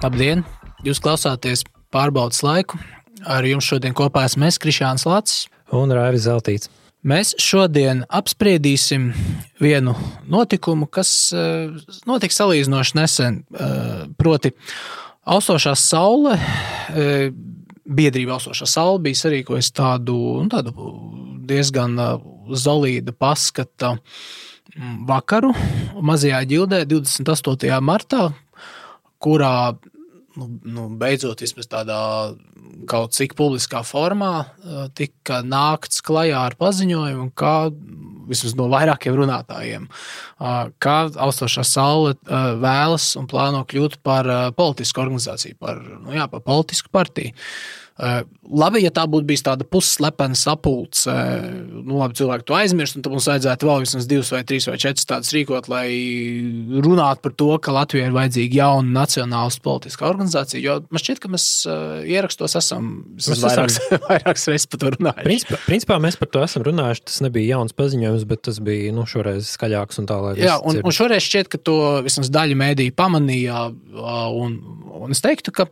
Labdien! Jūs klausāties Pārbaudas laiku. Ar jums šodien kopā esmu es, Krišāns Lacis. Un Raivis Zeltīts. Mēs šodien apspriedīsim vienu notikumu, kas notika salīdzinoši nesen. Proti, Austošā saule, biedrība Austošā saule bija sarīkojusi tādu diezgan zolīda paskata vakaru Mazajā Ģildē 28. martā, kurā beidzot vismaz tādā kaut cik publiskā formā tika nākts klajā ar paziņojumu, kā vismaz no vairākiem runātājiem, kā Austošā saule vēlas un plāno kļūt par politisku organizāciju, par politisku partiju. Labi, ja tā būtu bijis tāda pusslepena sapulce, labi, cilvēki to aizmirst, un tad mums vajadzētu vēl vismaz 2 vai 3 vai 4 tādas rīkot, lai runātu par to, ka Latvijai ir vajadzīga jauna nacionālistu politiskā organizācija, jo man šķiet, ka mēs ierakstos esam vairākas reizes par to runājuši. Principā mēs par to esam runājuši, tas nebija jauns paziņojums, bet tas bija šoreiz skaļāks un tā, lai jā, un šoreiz šķiet, ka to vismaz daļa mēdīja pamanīja, un es teiktu, ka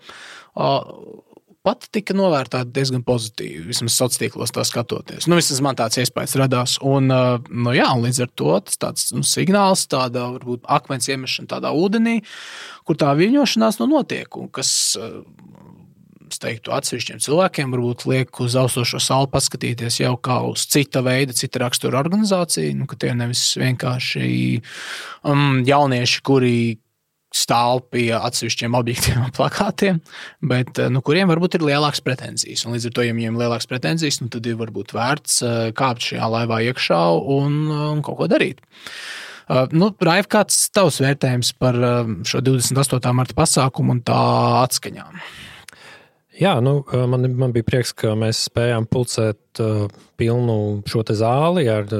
pat tika novērtēta diezgan pozitīvi, vismaz sociālos tā skatoties. Vismaz man tāds iespējas radās. Un līdz ar to tas tāds signāls, tāda varbūt akmens iemešana tādā ūdenī, kur tā viļņošanās notiek, un kas, es teiktu, atsevišķiem cilvēkiem varbūt liek uz Austošo sauli paskatīties jau kā uz cita veida, cita rakstura organizāciju, ka tie nevis vienkārši jaunieši, kuri stāv pie atsevišķiem objektiem un plakātiem, bet kuriem varbūt ir lielākas pretenzijas. Un līdz ar to, ja viņiem ir lielākas pretenzijas, tad ir varbūt vērts kāpt šajā laivā iekšā un kaut ko darīt. Raiv, kāds tavs vērtējums par šo 28. marta pasākumu un tā atskaņām? Jā, man bija prieks, ka mēs spējām pulcēt pilnu šo te zāli ar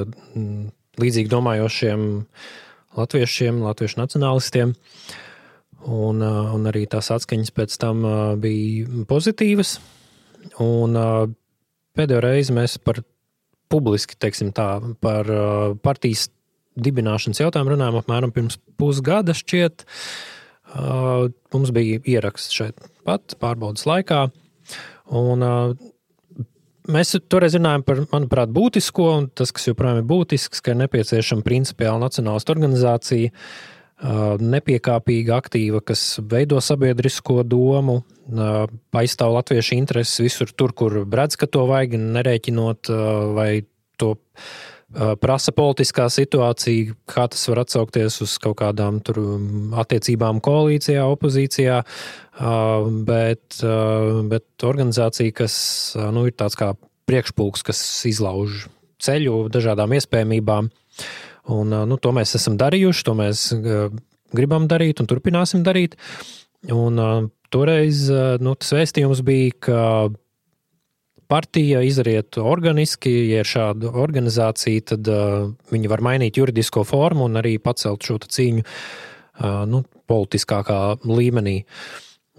līdzīgi domājošiem latviešiem, latviešu nacionālistiem, un arī tās atskaņas pēc tam bija pozitīvas, un pēdējo reizi mēs publiski, teiksim tā, par partijas dibināšanas jautājumu runājām apmēram pirms pusgada šķiet. Mums bija ieraksts šeit pat pārbaudas laikā, un mēs toreiz runājam par, manuprāt, būtisko, un tas, kas joprojām ir būtisks, ka ir nepieciešama principiāla nacionālistu organizācija, nepiekāpīga, aktīva, kas veido sabiedrisko domu, aizstāv latviešu intereses visur tur, kur redz, ka to vajag, nerēķinot, vai to prasa politiskā situācija, kā tas var atsaukties uz kaut kādām tur attiecībām koalīcijā, opozīcijā, bet organizācija, kas ir tāds kā priekšpulks, kas izlauž ceļu dažādām iespējamībām. Un to mēs esam darījuši, to mēs gribam darīt un turpināsim darīt. Un toreiz tas vēstījums bija, ka partija izriet organiski, ja ir šāda organizācija, tad viņi var mainīt juridisko formu un arī pacelt šo cīņu politiskākā līmenī.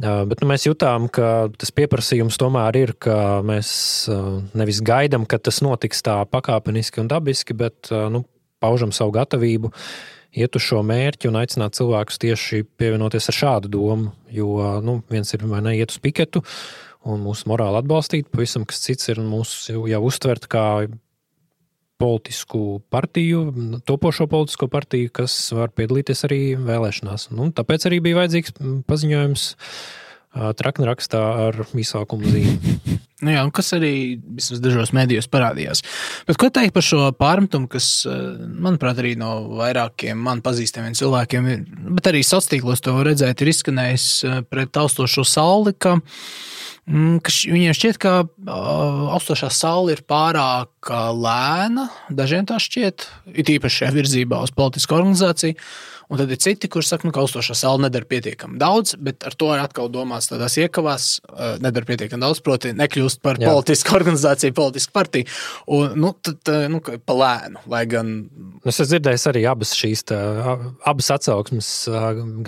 Bet mēs jutām, ka tas pieprasījums tomēr ir, ka mēs nevis gaidām, ka tas notiks tā pakāpeniski un dabiski, bet paužam savu gatavību iet uz šo mērķi un aicināt cilvēkus tieši pievienoties ar šādu domu, jo viens ir vai ne iet uz piketu, un mūsu morāli atbalstīt, pavisam kas cits ir mūsu jau uztvert kā politisku partiju, topošo politisko partiju, kas var piedalīties arī vēlēšanās. Tāpēc arī bija vajadzīgs paziņojums traknrakstā ar izsaukumu zīmi. Kas arī vismaz dažos medijos parādījās. Bet ko teikt par šo pārmetumu, kas, manuprāt, arī no vairākiem man pazīstamiem cilvēkiem, bet arī sociālos to redzēt, ir izskanējis pret Austošo sauli, ka viņiem šķiet, ka Austošā saule ir pārāk lēna, dažiem tā šķiet, it īpaši šajā virzībā uz politisku organizāciju, un tad ir citi, kurš saka, ka Austošā saule nedara pietiekami daudz, bet ar to ir atkal domāts tādās iekavās, nedara pietiekami daudz, proti nekļūst par politisku organizāciju, politisku partiju, un pa lēnu, lai gan... Es dzirdēju arī abas atsauksmes,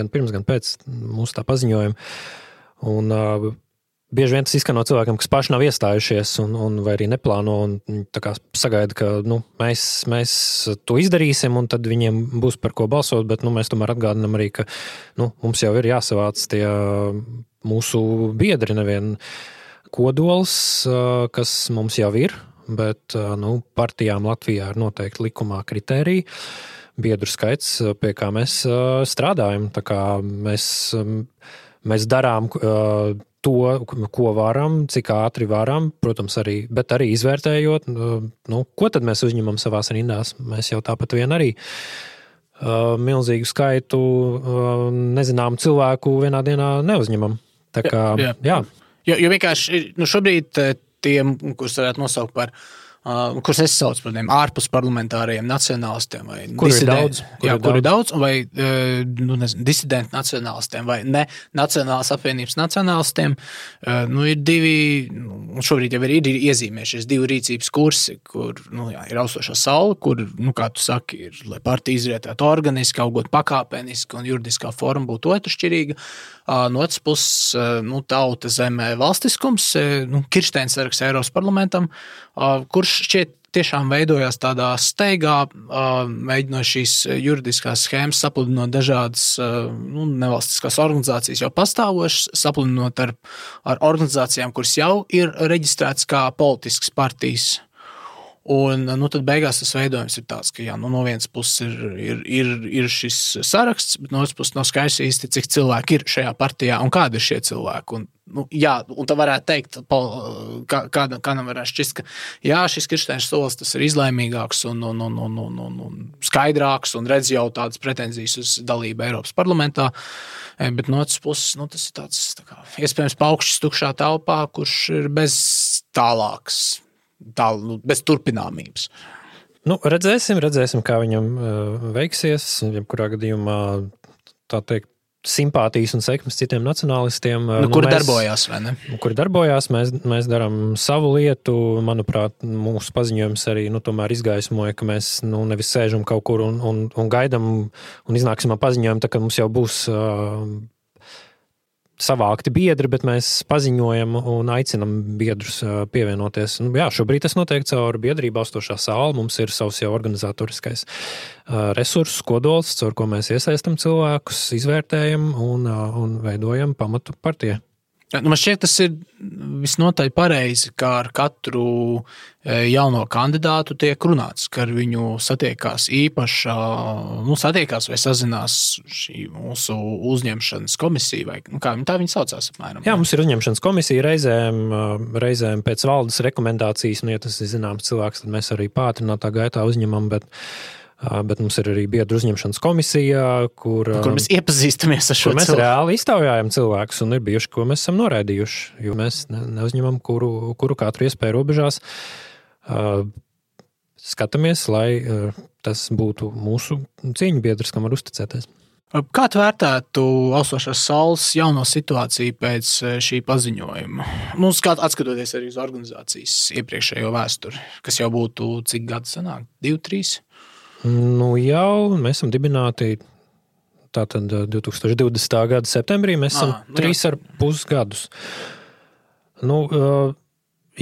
gan pirms, gan pēc mūsu tā paziņojuma, un bieži vien tas izskan no cilvēkiem, kas paši nav iestājušies vai arī neplāno un tā kā sagaida, ka mēs to izdarīsim un tad viņiem būs par ko balsot, bet mēs tomēr atgādinām arī, ka mums jau ir jāsavāc tie mūsu biedri, nevien kodols, kas mums jau ir, bet partijām Latvijā ir noteikti likumā kritēriji, biedru skaits, pie kā mēs strādājam. Tā kā mēs darām to, ko varam, cik ātri varam, protams, bet arī izvērtējot, ko tad mēs uzņemam savās rindās. Mēs jau tāpat vien arī milzīgu skaitu nezināmu cilvēku vienā dienā neuzņemam. Tā kā, jā. Jo vienkārši šobrīd tiem, kurus varētu nosaukt par kurus es saucu par tiem ārpus parlamentāriem nacionālistiem vai kuri daudz, vai disidenti nacionālistiem vai ne Nacionālās apvienības nacionālistiem, ir divi, šobrīd jau ir iezīmējušies divi rīcības kursi, kur ir austošā saule, kur, kā tu saki, ir, lai partija izrietētu organiski, augot pakāpeniski un juridiskā forma būtu otršķirīga. No otras puses, tauta zemē valstiskums, Kirsteins saraksts Eiropas parlamentam, kurš šķiet tiešām veidojās tādā steigā, mēģinot šīs juridiskās schēmas sapludinot dažādas nevalstiskās organizācijas jau pastāvošas, sapludinot ar organizācijām, kuras jau ir reģistrētas kā politiskas partijas. Un tad beigās tas veidojums ir tāds, ka no vienas puses ir šis saraksts, bet no otras puses nav skaidrs īsti, cik cilvēki ir šajā partijā un kādi ir šie cilvēki. Un tā varētu teikt, kādam varētu šķist, ka šis Kirsteins solis tas ir izlaimīgāks un skaidrāks un redz jau tādas pretenzijas uz dalību Eiropas parlamentā, bet no otras puses tas ir tāds iespējams paukšķis tukšā telpā, kurš ir bez tālāks. Bez turpināmības. Redzēsim, kā viņam veiksies. Jebkurā gadījumā, tā teikt, simpātijas un sekmes citiem nacionālistiem. Kuri darbojās, vai ne? Kuri darbojās, mēs darām savu lietu. Manuprāt, mūsu paziņojums arī tomēr izgaismoja, ka mēs nevis sēžam kaut kur un gaidam un iznāksim ar paziņojumu, tā ka mums jau būs savākti biedri, bet mēs paziņojam un aicinam biedrus pievienoties. Šobrīd tas notiek caur biedrību austošā saule. Mums ir savs jau organizatoriskais resurss, kodols, caur ko mēs iesaistam cilvēkus, izvērtējam un veidojam pamatu partijai. Man šķiet, tas ir visnotaļ pareizi, kā ar katru jauno kandidātu tiek runāts, ka ar viņu satiekās vai sazinās šī mūsu uzņemšanas komisija, vai kā tā viņa saucās apmēram. Jā, mums ir uzņemšanas komisija reizēm pēc valdes rekomendācijas, ja tas ir zināms cilvēks, tad mēs arī pātrinātā gaitā uzņemam, bet mums ir arī biedru uzņemšanas komisija, kur mēs iepazīstamies ar šo cilvēku. Mēs reāli iztaujājam cilvēkus un ir bijuši, ko mēs esam noraidījuši, jo mēs neuzņemam kuru katru iespēju robežās. Skatāmies, lai tas būtu mūsu cīņu biedrs, kam var uzticēties. Kā tu vērtētu austošās saules jauno situāciju pēc šī paziņojuma? Atskatoties arī uz organizācijas iepriekšējo vēsturi, kas jau būtu cik gadu sanāk? 2, 3? Jau mēs esam dibināti tātad 2020. Gada septembrī, mēs esam 3,5 gadus.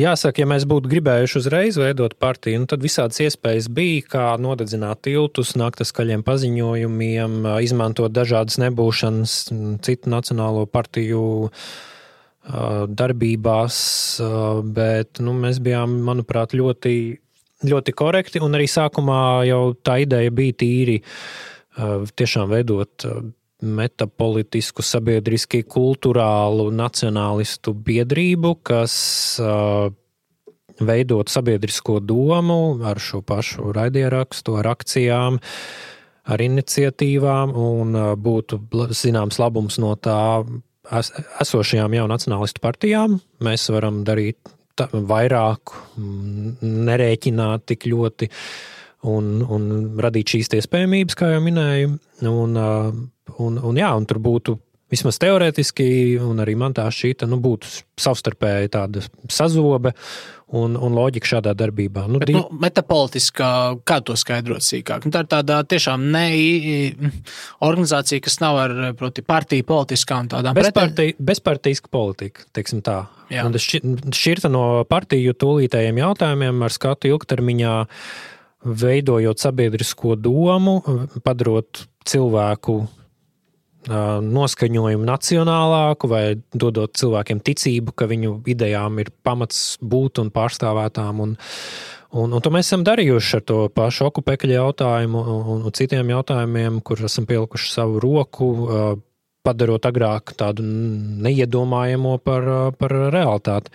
Jāsaka, ja mēs būtu gribējuši uzreiz veidot partiju, tad visādas iespējas bija, kā nodedzināt tiltus, nākt ar skaļiem paziņojumiem, izmantot dažādas nebūšanas citu nacionālo partiju darbībās, bet mēs bijām, manuprāt, ļoti korekti, un arī sākumā jau tā ideja bija tīri tiešām veidot metapolitisku, sabiedriski, kulturālu, nacionālistu biedrību, kas veidot sabiedrisko domu ar šo pašu raidierakstu, ar akcijām, ar iniciatīvām, un būtu zināms labums no tā esošajām jau nacionālistu partijām. Mēs varam darīt vairāk, nerēķināt tik ļoti un radīt šīs iespējamības, kā jau minēju. Un tur būtu vismaz teorētiski, un arī man tā šķita, būtu savstarpēji tāda sazobe, un loģika šādā darbībā. Bet, metapolitiskā, kā to skaidrot sīkāk? Tā ir tāda tiešām organizācija, kas nav ar, proti, partiju politiskām tādām bezpartijiska politika, teiksim tā. Jā. Un tas šķirta no partiju tūlītējiem jautājumiem ar skatu ilgtermiņā, veidojot sabiedrisko domu, padarot cilvēku noskaņojumu nacionālāku vai dodot cilvēkiem ticību, ka viņu idejām ir pamats būt un pārstāvētām. Un to mēs esam darījuši ar to pašu okupekļu jautājumu un citiem jautājumiem, kur esam pielikuši savu roku, padarot agrāk tādu neiedomājamo par realitāti.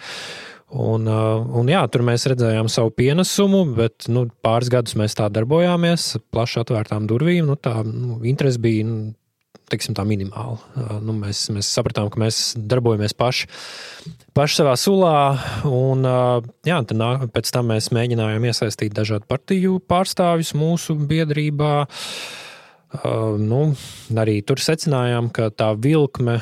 Un jā, tur mēs redzējām savu pienesumu, bet pāris gadus mēs tā darbojāmies, plaši atvērtām durvīm, interesi bija teiksim tā minimāli. Mēs sapratām, ka mēs darbojamies paši savā sulā, un jā, pēc tam mēs mēģinājām iesaistīt dažādu partiju pārstāvjus mūsu biedrībā. Arī tur secinājām, ka tā vilkme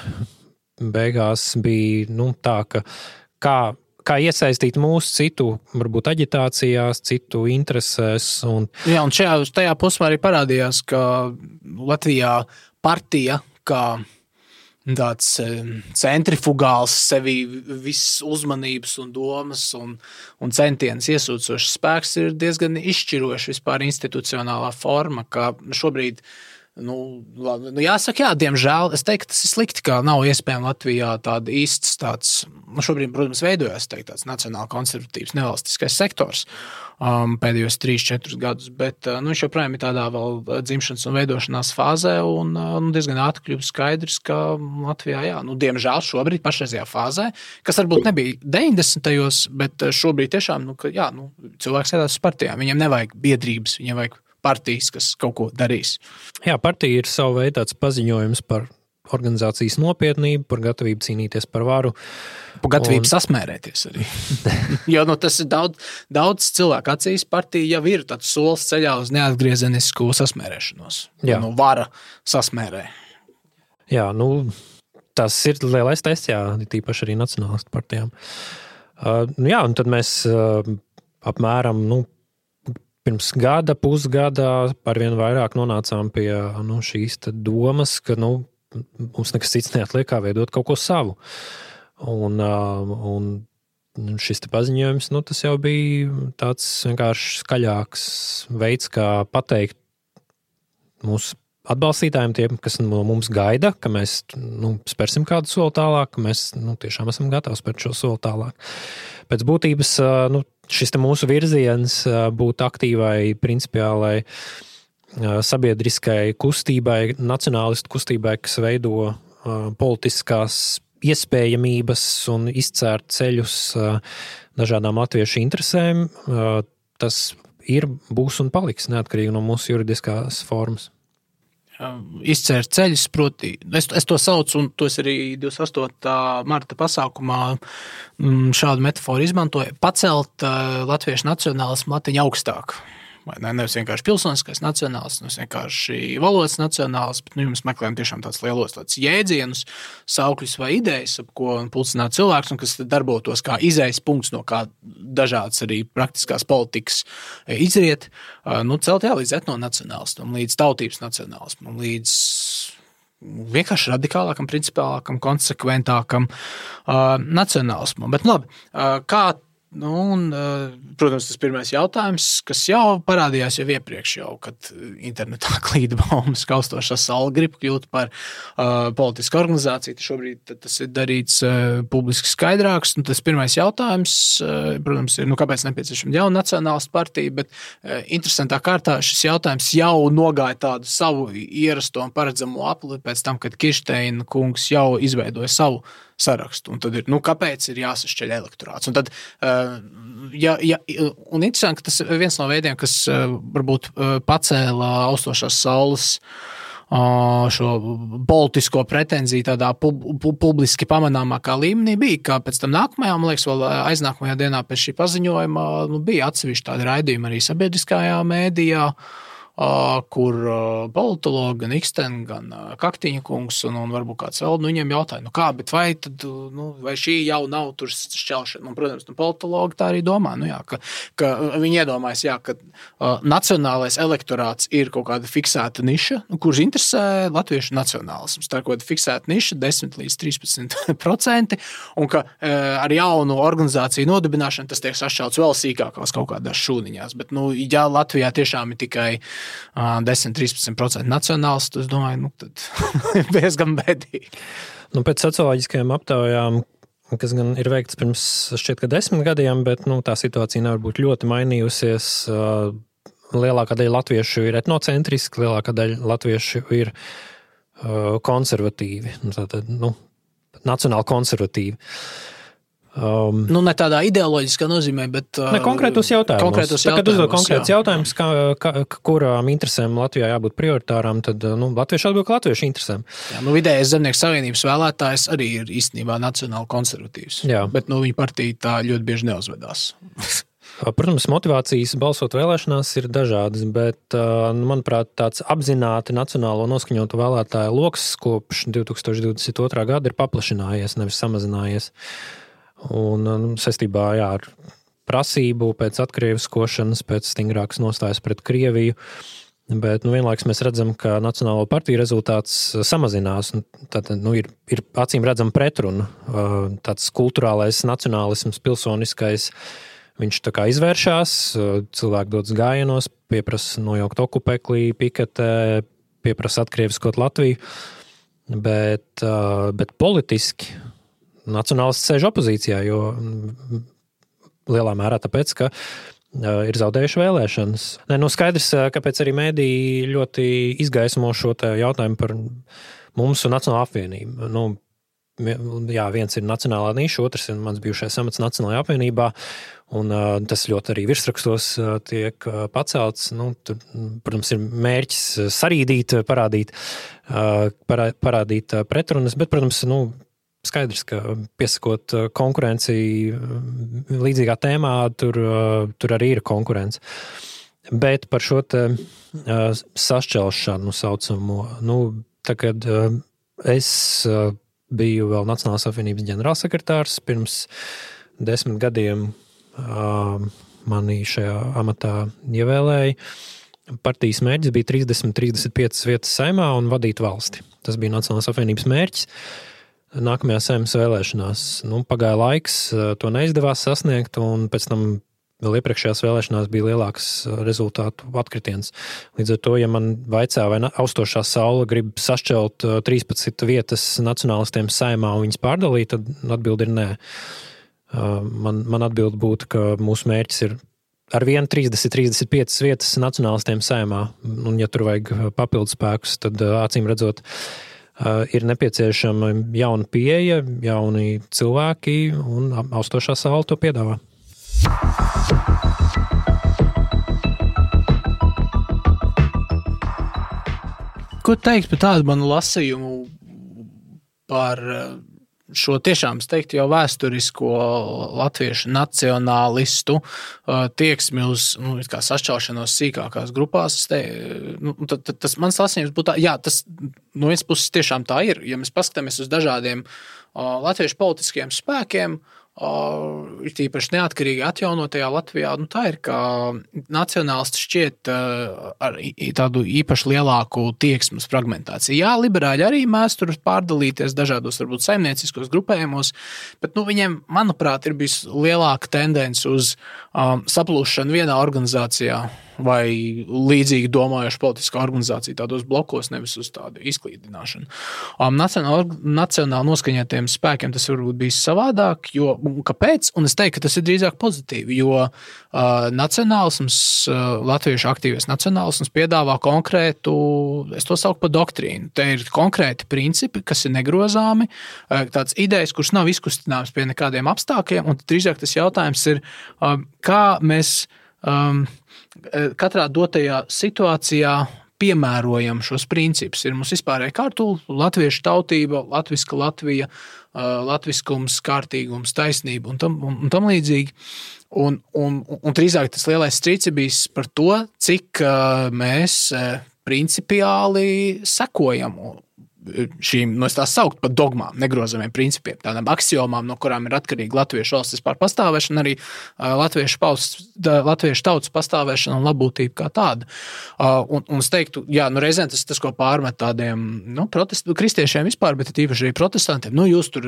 beigās bija tā, ka kā iesaistīt mūsu citu, varbūt aģitācijās, citu interesēs. Jā, un tajā posmā arī parādījās, ka Latvijā partija, kā tāds centrifugāls sevi viss uzmanības un domas un centienas iesūcošs spēks ir diezgan izšķiroši vispār institucionālā forma, ka šobrīd jāsaka, jā, diemžēl, es teiktu, tas ir slikti, ka nav iespējams Latvijā tāda īsts tāds, šobrīd, protams, veidojās tāds nacionāli konservatīvs nevalstiskais sektors pēdējos 3-4 gadus, bet viņš joprojām ir tādā vēl dzimšanas un veidošanās fāzē un diezgan ātri kļūst skaidrs, ka Latvijā, jā, diemžēl šobrīd pašreizajā fāzē, kas varbūt nebija 90. bet šobrīd tiešām, cilvēks sēdās uz partijām, viņiem nevajag biedrības, viņiem vajag partijas, kas kaut ko darīs. Jā, partija ir savu veidu tāds paziņojums par organizācijas nopietnību, par gatavību cīnīties par varu. Par gatavību sasmērēties arī. Jo tas ir daudz cilvēku acīs, partija jau ir tāds solis ceļā uz neatgriezenisku sasmērēšanos. Jā. Vara sasmērē. Jā, tas ir lielais tests, jā, tīpaši arī nacionālistu partijām. Jā, un tad mēs apmēram, pirms pusgada arvien vairāk nonācām pie šīs domas, ka mums nekas cits neatliek kā veidot kaut ko savu. Un šis paziņojums, tas jau bija tāds vienkārši skaļāks veids, kā pateikt mūsu atbalstītājiem, tiem, kas no mums gaida, ka mēs spērsim kādu soli tālāk, ka mēs tiešām esam gatavi spērt šo soli tālāk. Pēc būtības šis mūsu virziens būt aktīvai, principiālai sabiedriskai kustībai, nacionālistu kustībai, kas veido politiskās iespējamības un izcērt ceļus dažādām latviešu interesēm, tas ir, būs un paliks neatkarīgi no mūsu juridiskās formas. Izcērt ceļus, proti, es to saucu, un to es arī 28. marta pasākumā šādu metaforu izmantoju, pacelt latviešu nacionālismu latiņu augstāk. Nevis vienkārši pilsoniskais nacionāls, nevis vienkārši valodas nacionāls, bet jums meklējam tiešām tāds lielos tāds jēdzienus, saukļus vai idejas, ap ko pulcināt cilvēks, un kas darbotos kā izejas punkts, no kā dažādas arī praktiskās politikas izriet, celt līdz etnonacionālismam, līdz tautības nacionālismam, līdz vienkārši radikālākam, principālākam, konsekventākam nacionālismam. Bet labi, kā protams, tas pirmais jautājums, kas jau parādījās jau iepriekš, kad internetā klīda baumas, ka Austošā saule grib kļūt par politisku organizāciju. Šobrīd tas ir darīts publiski skaidrāks. Tas pirmais jautājums, protams, ir, kāpēc nepieciešama jauna nacionālistu partija, bet interesantā kārtā šis jautājums jau nogāja tādu savu ierasto un paredzamo apli pēc tam, kad Kirsteina kungs jau izveidoja savu sarakstu. Un tad ir, kāpēc ir jāsašķeļ elektorāts? Un tad, un interesanti, ka tas ir viens no veidiem, kas varbūt pacēla Austošās saules šo politisko pretenziju tādā publiski pamanāmākā līmenī bija, ka pēc tam nākamajā, man liekas, vēl aiznākamajā dienā pēc šī paziņojuma bija atsevišķi tādi raidījumi arī sabiedriskajā mēdījā, kur politologi, gan Iksten, gan Kaktiņa kungs un varbūt kāds vēl, viņiem jautāja, kā, bet vai šī jau nav tur šķelšana? Un, protams, politologi tā arī domā, ka viņi iedomājas, ka nacionālais elektorāts ir kaut kāda fiksēta niša, kurš interesē latviešu nacionālisms. Tā ir kaut kāda fiksēta niša, 10 līdz 13%, un ka ar jaunu organizāciju nodibināšanu tas tiek sašķelts vēl sīkākās kaut kādās šūniņās. Bet, ja Latvijā tiešām ir tikai 10-13% nacionāls, tad es domāju, tad diezgan bēdīgi. Pēc socioloģiskajām aptaujām, kas gan ir veikts pirms šķiet, ka 10 gadiem, bet tā situācija nevar būt ļoti mainījusies. Lielākā daļa latviešu ir etnocentriski, lielākā daļa latviešu ir konservatīvi, tātad, nacionāli konservatīvi. Ne tādā ideoloģiskā nozīmē, bet konkrētos jautājumus. Kad uzdod konkrētus jautājumus, kurām interesēm Latvijā jābūt prioritārām, tad latvieši atbild, ka latviešu interesēm. Vidējais Zemnieku savienības vēlētājs arī ir īstenībā nacionāli konservatīvs. Jā. Bet viņa partija tā ļoti bieži neuzvedās. Protams, motivācijas balsot vēlēšanās ir dažādas, bet, manuprāt, tāds apzināti nacionālo noskaņotu vēlētāju loks kopš 2022. Gada ir paplašinājies, nevis samazinājies. Un saistībā ar prasību pēc atkrieviskošanas, pēc stingrākas nostājas pret Krieviju, bet vienlaikus mēs redzam, ka Nacionālo partiju rezultāts samazinās. Tad ir acīm redzama pretruna. Tāds kulturālais nacionālisms, pilsoniskais, viņš tā kā izvēršās, cilvēki dodas gājienos, pieprasa nojaukt okupeklī, piketē, pieprasa atkrieviskot Latviju, bet politiski nacionālisti sēž opozīcijā, jo lielā mērā tāpēc, ka ir zaudējuši vēlēšanas. Skaidrs, kāpēc arī mēdī ļoti izgaismo šo jautājumu par mums un Nacionālo apvienību. Viens ir nacionālā niša, otrs ir mans bijušais amats Nacionālajā apvienībā, un tas ļoti arī virsrakstos tiek pacelts. Tur, protams, ir mērķis sarīdīt, parādīt pretrunas, bet, protams, skaidrs, ka piesakot konkurenci līdzīgā tēmā, tur arī ir konkurence. Bet par šo sašķelšanu saucamo, tagad es biju vēl Nacionālās apvienības ģenerālsekretārs, pirms 10 gadiem mani šajā amatā ievēlēja. Partijas mērķis bija 30-35 vietas Saeimā un vadīt valsti. Tas bija Nacionālās apvienības mērķis. Nākamajā Saeimas vēlēšanās pagāja laiks, to neizdevās sasniegt, un pēc tam vēl iepriekšējās vēlēšanās bija lielāks rezultātu atkritiens. Līdz ar to, ja man vaicā, vai austošā saule grib sašķelt 13 vietas nacionālistiem Saeimā un viņas pārdalīt, tad atbildi ir nē. Man atbildi būtu, ka mūsu mērķis ir ar vienu 30-35 vietas nacionālistiem Saeimā, un ja tur vajag papildus spēkus, tad acīm redzot, ir nepieciešama jauna pieeja, jauni cilvēki, un austošā saule to piedāvā. Ko teikt par tādu manu lasījumu par šo tiešām, es teiktu, jau vēsturisko latviešu nacionālistu tieksmi uz sašķelšanos sīkākās grupās? Tas mans lasījums būtu tā, tas no vienas puses tiešām tā ir. Ja mēs paskatāmies uz dažādiem latviešu politiskiem spēkiem, ir tīpaši neatkarīgi atjaunotajā Latvijā, tā ir, ka nacionālisti šķiet ar tādu īpaši lielāku tieksmes fragmentāciju. Jā, liberāļi arī mēdz tur pārdalīties dažādos, varbūt saimnieciskos grupējumos, bet viņiem, manuprāt, ir bijis lielāka tendence uz saplūšanu vienā organizācijā vai līdzīgi domājuši politiskā organizācija tādos blokos, nevis uz tādu izklīdināšanu. Nacionāli noskaņotiem spēkiem tas varbūt bijis savādāk, jo kāpēc? Un es teiktu, ka tas ir drīzāk pozitīvi, jo nacionālisms, latviešu aktīvais nacionālisms piedāvā konkrētu, es to sauku par doktrīnu. Te ir konkrēti principi, kas ir negrozāmi, tāds idejas, kuras nav izkustināmas pie nekādiem apstākļiem, un drīzāk tas jautājums ir, kā mēs katrā dotajā situācijā piemērojam šos principus. Ir mums vispārēja kārtula, latviešu tautība, latviska Latvija, latviskums, kārtīgums, taisnība un tam līdzīgi. Un drīzāk tas lielais strīds ir bijis par to, cik mēs principiāli sekojam šīm, es tās saukt par dogmām, negrozamiem principiem, tādām aksiomām, no kurām ir atkarīga latviešu valsts vispār pastāvēšana, arī latviešu tautas pastāvēšana un labbūtība kā tāda. Un es teiktu, reizēm tas, ko pārmet tādiem kristiešiem vispār, bet īpaši arī protestantiem, jūs tur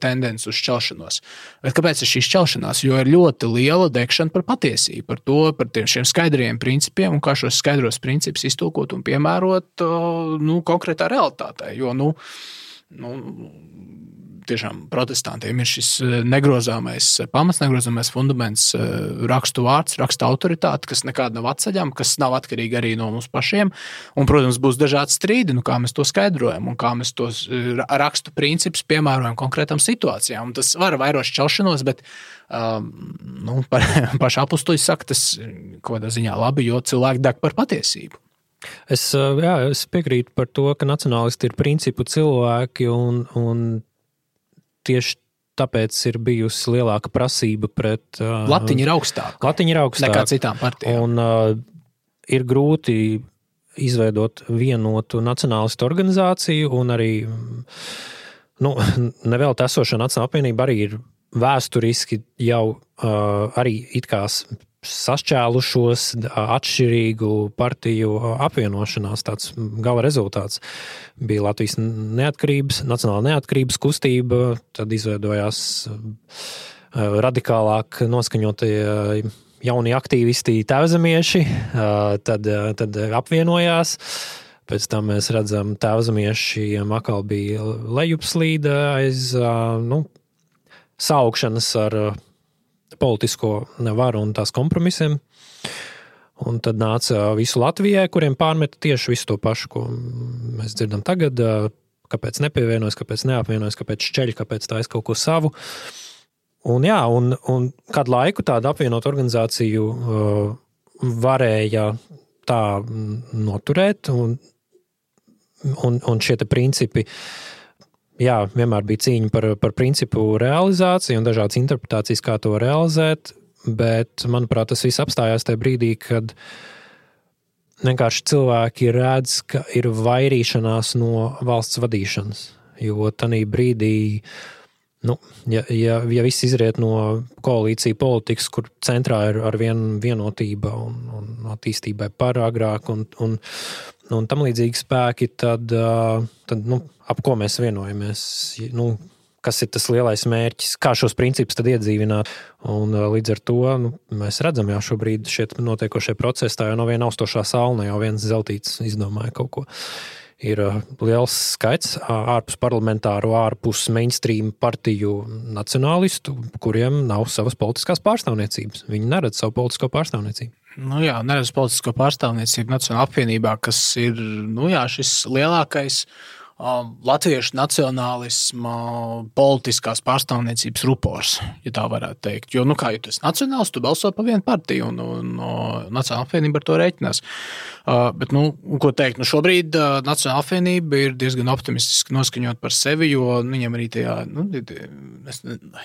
tendence uz šķelšanos. Bet kāpēc ir šī šķelšanās? Jo ir ļoti liela dekšana par patiesību, par šiem skaidriem principiem un kā šos skaidros principus iztulkot un piemērot konkrētā realitātē. Jo, tiešām protestantiem ir šis negrozāmais pamats, negrozāmais fundaments, rakstu vārds, raksta autoritāte, kas nekāda nav atceļama, kas nav atkarīga arī no mums pašiem. Un, protams, būs dažādi strīdi, kā mēs to skaidrojam un kā mēs tos rakstu principus piemērojam konkrētām situācijām. Un tas var vairot šķelšanos, bet paši apustuļi saka, tas kaut kādā ziņā labi, jo cilvēki deg par patiesību. Es piekrītu par to, ka nacionālisti ir principu cilvēki un tieši tāpēc ir bijusi lielāka prasība pret... Latiņa ir augstāka. Nekā citām partijām. Un ir grūti izveidot vienotu nacionālistu organizāciju un arī, nevēl esošā Nacionāla apvienība arī ir vēsturiski jau arī it kā sašķēlušos atšķirīgu partiju apvienošanās. Tāds gala rezultāts bija Latvijas Nacionāla neatkarības kustība, tad izveidojās radikālāk noskaņotie jaunie aktīvisti tēvzemieši, tad apvienojās. Pēc tam mēs redzam, tēvzemiešiem atkal bija lejupslīde aiz saukšanas ar politisko varu un tās kompromisiem. Un tad nāca visu Latvijai, kuriem pārmeta tieši visu to pašu, ko mēs dzirdam tagad, kāpēc nepievienojas, kāpēc neapvienojas, kāpēc šķeļ, kāpēc tā kaut ko savu. Un kādu laiku tādu apvienot organizāciju varēja tā noturēt, un šie te principi vienmēr bija cīņa par principu realizāciju un dažādas interpretācijas, kā to realizēt, bet, manuprāt, tas viss apstājās tajā brīdī, kad vienkārši cilvēki redz, ka ir vairīšanās no valsts vadīšanas, jo tanī brīdī, ja viss izriet no koalīcija politikas, kur centrā ir ar vienotība un attīstībai par agrāk un tam līdzīgi spēki, tad ap ko mēs vienojamies, kas ir tas lielais mērķis, kā šos principus tad iedzīvināt. Un līdz ar to mēs redzam jau šobrīd šeit notiekošie procesi, tā jau nav viena austošā saule, jau viens zeltīts izdomāja kaut ko. Ir liels skaits ārpus parlamentāru, ārpus mainstream partiju nacionālistu, kuriem nav savas politiskās pārstāvniecības. Viņi neredz savu politisko pārstāvniecību. Neredz politisko pārstāvniecību Nacionālā apvienībā, kas ir, šis lielākais latviešu nacionālisma politiskās pārstāvniecības rupors, ja tā varētu teikt. Jo, kā tu esi nacionāls, tu balso par vienu partiju, un Nacionālā apvienība ar to reiķinās. Bet, ko teikt, šobrīd Nacionālā apvienība ir diezgan optimistiski noskaņot par sevi, jo viņam arī tajā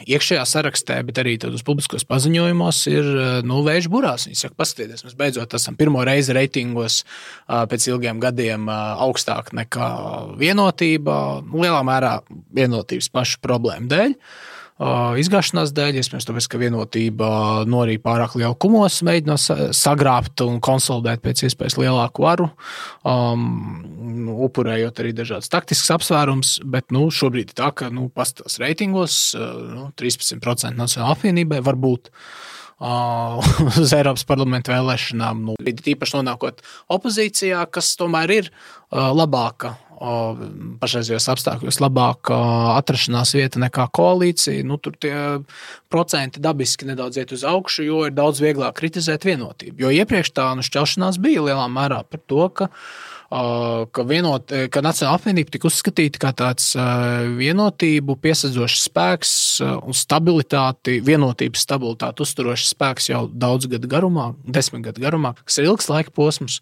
iekšējā sarakstē, bet arī tādos publiskos paziņojumos ir vējš burās. Viņi saka, paskatieties, mēs beidzot esam pirmo reizi reitingos pēc ilgiem gadiem augstāk nekā vienotība, lielā mērā vienotības pašu problēmu dēļ. Izgāšanās dēļ, iespējams, tāpēc, ka vienotība norīja pārāk lielu kumos, mēģina sagrābt un konsolidēt pēc iespējas lielāku varu, upurējot arī dažādas taktiskas apsvērums, bet šobrīd ir tā, ka pastāvs reitingos 13% Nacionālā apvienībai var būt uz Eiropas parlamenta vēlēšanām. Tīpaši nonākot opozīcijā, kas tomēr ir labāka pašreizējos apstākļos labāka atrašanās vieta nekā koalīcija. Tur tie procenti dabiski nedaudz iet uz augšu, jo ir daudz vieglāk kritizēt vienotību. Jo iepriekš tā šķelšanās bija lielā mērā par to, ka Nacionālā apvienība tika uzskatīta kā tāds vienotību piesadzošs spēks un stabilitāti, vienotības stabilitāti uzturošs spēks jau 10 gadu garumā, kas ir ilgs laika posms.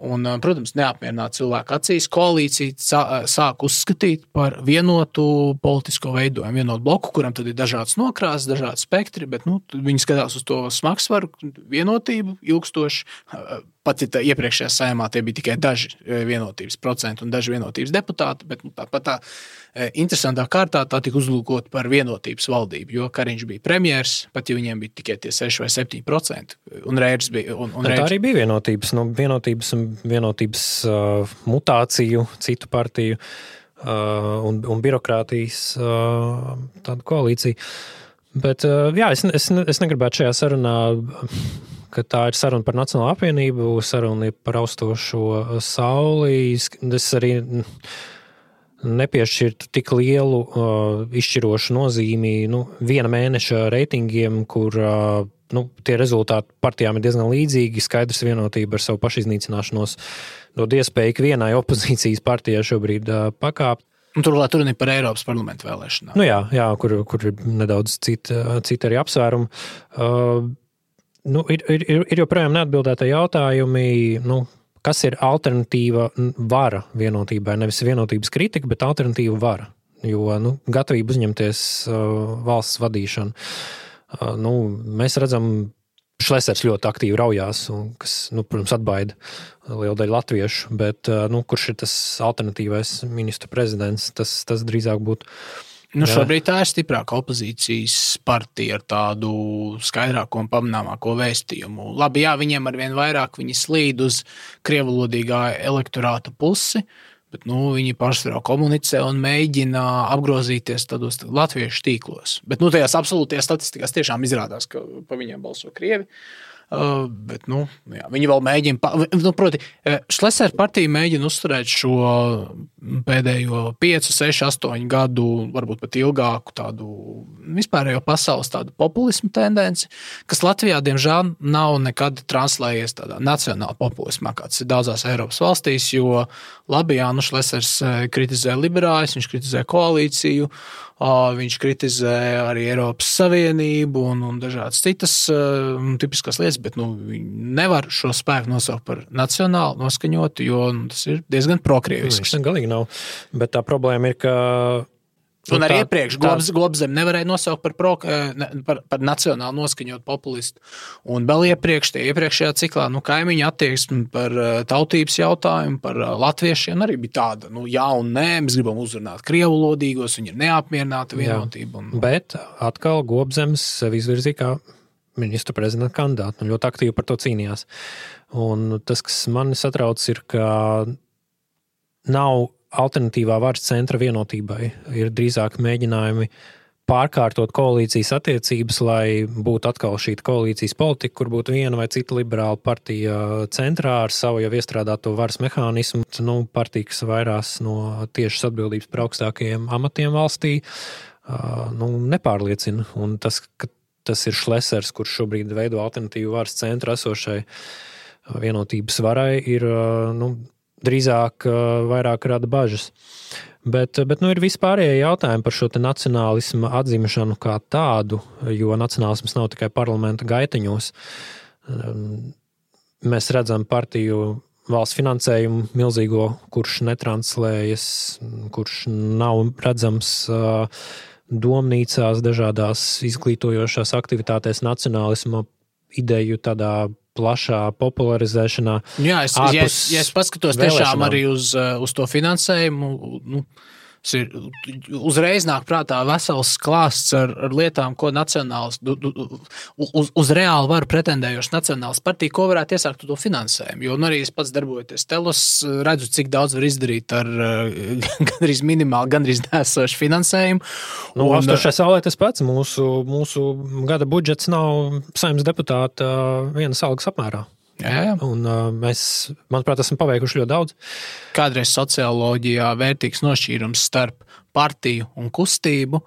Un, protams, neapmierināt cilvēku acīs, koalīcija sāk uzskatīt par vienotu politisko veidojumu, vienotu bloku, kuram tad ir dažādas nokrāsas, dažādi spektri, bet viņi skatās uz to smagsvaru, vienotību ilgstoši. Pat ja iepriekšējā Saeimā tie bija tikai daži vienotības procenti un daži vienotības deputāti, bet tāpat tā interesantā kārtā tā tika uzlūkot par vienotības valdību, jo Kariņš bija premjers, pat ja viņiem bija tikai tie 6 vai 7%, un Reirs bija... Tā arī bija vienotības, vienotības mutāciju, citu partiju un birokrātijas tāda koalīcija. Bet, jā, es negribētu šajā sarunā, ka tā ir saruna par Nacionālo apvienību, saruna ir par austošo sauli. Es arī nepiešķirtu tik lielu izšķirošu nozīmi viena mēneša reitingiem, kur tie rezultāti partijām ir diezgan līdzīgi, skaidrs vienotība ar savu pašiznīcināšanos dod iespēju vienai opozīcijas partijai šobrīd pakāpt. Un turklāt tur ir par Eiropas parlamentu vēlēšanām. Jā, kur ir nedaudz citi arī apsvērumi. Ir joprojām neatbildēti jautājumi, kas ir alternatīva vara vienotībai, nevis vienotības kritika, bet alternatīva vara, jo gatavība uzņemties valsts vadīšanu. Mēs redzam, Šlesers ļoti aktīvi raujās, kas, protams, atbaida lielu daļu latviešu, bet kurš ir tas alternatīvais ministru prezidents, tas drīzāk būtu. Šobrīd tā ir stiprāka opozīcijas partija ar tādu skaidrāko un pamanāmāko vēstījumu. Labi, jā, viņiem arvien vairāk viņi slīd uz krievulodīgā elektorāta pusi, bet viņi pašsvarā komunicē un mēģina apgrozīties tādos latviešu tīklos. Bet tajās absolūtajās statistikās tiešām izrādās, ka pa viņiem balso krievi. Bet, jā, viņi vēl mēģina, proti, Šlesera partija mēģina uzturēt šo pēdējo 5, 6, 8 gadu, varbūt pat ilgāku tādu vispārējo pasaules tādu populismu tendenci, kas Latvijā, diemžēl, nav nekad translējies tādā nacionāla populismā, kāds ir daudzās Eiropas valstīs, jo labi, jā, Šlesers kritizē liberāļus, viņš kritizē koalīciju, viņš kritizē arī Eiropas Savienību un dažādas citas tipiskās lietas, bet viņi nevar šo spēku nosaukt par nacionāli noskaņotu, jo tas ir diezgan prokrievisks. Viņš galīgi nav, bet tā problēma ir, ka un arī iepriekš Globzem nevarēja nosaukt par nacionāli noskaņot populistu. Un vēl iepriekšējā ciklā kaimiņu attieksmi par tautības jautājumu, par latviešiem arī bija tāda, jā un nē, mēs gribam uzrunāt krievulodīgos, viņi ir neapmierināti vienotību. Bet atkal Globzems sevi izvirzīja kā ministra prezidenta kandidātu, ļoti aktīvi par to cīnījās. Un tas, kas mani satrauc, ir, ka nav alternatīvā varas centra vienotībai, ir drīzāk mēģinājumi pārkārtot koalīcijas attiecības, lai būtu atkal šī koalīcijas politika, kur būtu viena vai cita liberāla partija centrā ar savu jau iestrādāto varas mehānismu. Partija, kas vairās no tiešas atbildības par augstākajiem amatiem valstī, nepārliecina. Un tas ir Šlesers, kurš šobrīd veido alternatīvu varas centru esošai vienotības varai, ir drīzāk vairāk rada bažas. Bet ir vispārējie jautājumi par šo te nacionālismu atzimšanu kā tādu, jo nacionālisms nav tikai parlamenta gaiteņos. Mēs redzam partiju valsts finansējumu milzīgo, kurš netranslējas, kurš nav redzams domnīcās, dažādās izglītojošās aktivitātēs nacionālisma ideju tādā plašā popularizēšanā. Jā, es paskatos tiešām arī uz to finansējumu, uzreiz nāk prātā vesels klāsts ar lietām, ko nacionāls, uz reāli varu pretendējoši nacionāls partija, ko varētu iesākt to finansējumu. Jo arī es pats darbojoties Telos, redzu, cik daudz var izdarīt ar gandrīz minimāli, gandrīz neesošu finansējumu. Austošai saulē tas pats. Mūsu gada budžets nav Saeimas deputāta vienas algas apmērā. Jā. Un mēs, manuprāt, esam paveikuši ļoti daudz. Kādreiz socioloģijā vērtīgs nošķīrums starp partiju un kustību,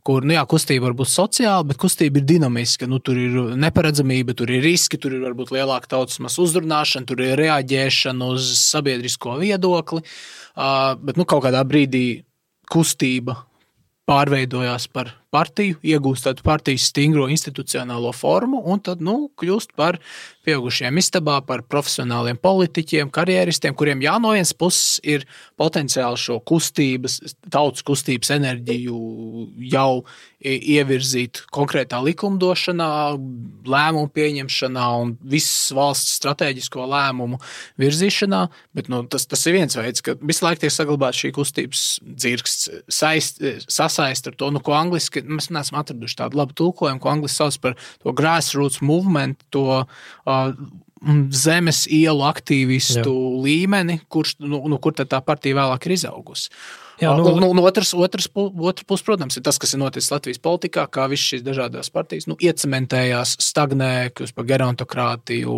kur, kustība var būt sociāla, bet kustība ir dinamiska. Tur ir neparedzamība, tur ir riski, tur ir varbūt lielāka tautas masa uzdrunāšana, tur ir reaģēšana uz sabiedrisko viedokli, bet kaut kādā brīdī kustība pārveidojās par partiju, iegūst tādu partijas stingro institucionālo formu un tad, kļūst par pieaugušiem istabā, par profesionāliem politiķiem, karjeristiem, kuriem no vienas puses ir potenciāli šo tautas kustības enerģiju jau ievirzīt konkrētā likumdošanā, lēmumu pieņemšanā un visas valsts strateģisko lēmumu virzīšanā, bet tas ir viens veids, ka visu laiku tiek saglabāt šī kustības dzirksts, sasaist ar to, ko angliski, mēs neesam atraduši tādu labu tulkojumu, ko angliski sauc par to grassroots movement, to zemes ielu aktīvistu līmeni, kur tad tā partija vēlāk ir izaugusi. Jā, otrs puses, protams, ir tas, kas ir noticis Latvijas politikā, kā visas šīs dažādās partijas iecementējās, stagnē, kļūst par gerontokrātiju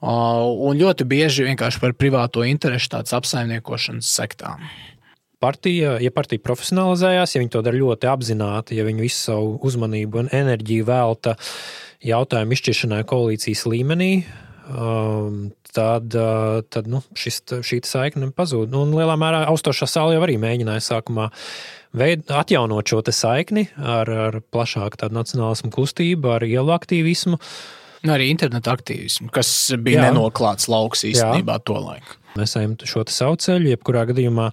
un ļoti bieži vienkārši par privāto interešu tāds apsaimniekošanas sektām. Partija profesionalizējās, ja viņi to dara ļoti apzināti, ja viņi visu savu uzmanību un enerģiju velta jautājumu izšķiršanai koalīcijas līmenī, tad šī saikne pazūd. Un lielā mērā Austošā saule jau arī mēģināja sākumā atjaunot šo te saikni ar plašāku tādu nacionālismu kustību, ar ielu aktīvismu. Arī interneta aktīvismu, kas bija nenoklāts lauks īstenībā tolaik. Mēs ejam šo te savu ceļu, jebkurā gadījumā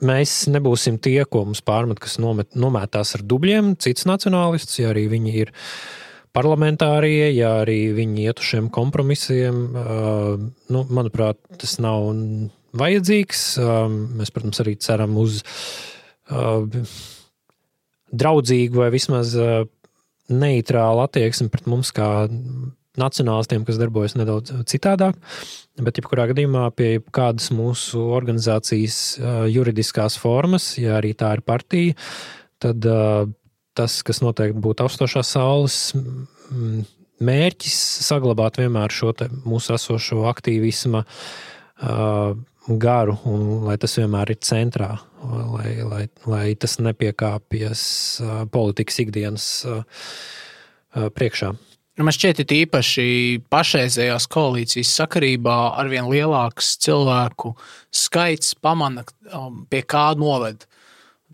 mēs nebūsim tie, ko mums pārmet, kas nomētās ar dubļiem, cits nacionālists, ja arī viņi ir parlamentārie, ja arī viņi iet uz šiem kompromisiem. Manuprāt, tas nav vajadzīgs. Mēs, protams, arī ceram uz draudzīgu vai vismaz neitrālu attieksmi pret mums kā nacionālistiem, kas darbojas nedaudz citādāk. Bet, jebkurā gadījumā, pie kādas mūsu organizācijas juridiskās formas, ja arī tā ir partija, tad tas, kas noteikti būtu Austošās saules mērķis, saglabāt vienmēr šo te mūsu esošo aktīvisma garu, un lai tas vienmēr ir centrā, lai tas nepiekāpjas politikas ikdienas priekšā. Man šķiet, ir īpaši pašreizējās koalīcijas sakarībā arvien lielāks cilvēku skaits pamana, pie kā noved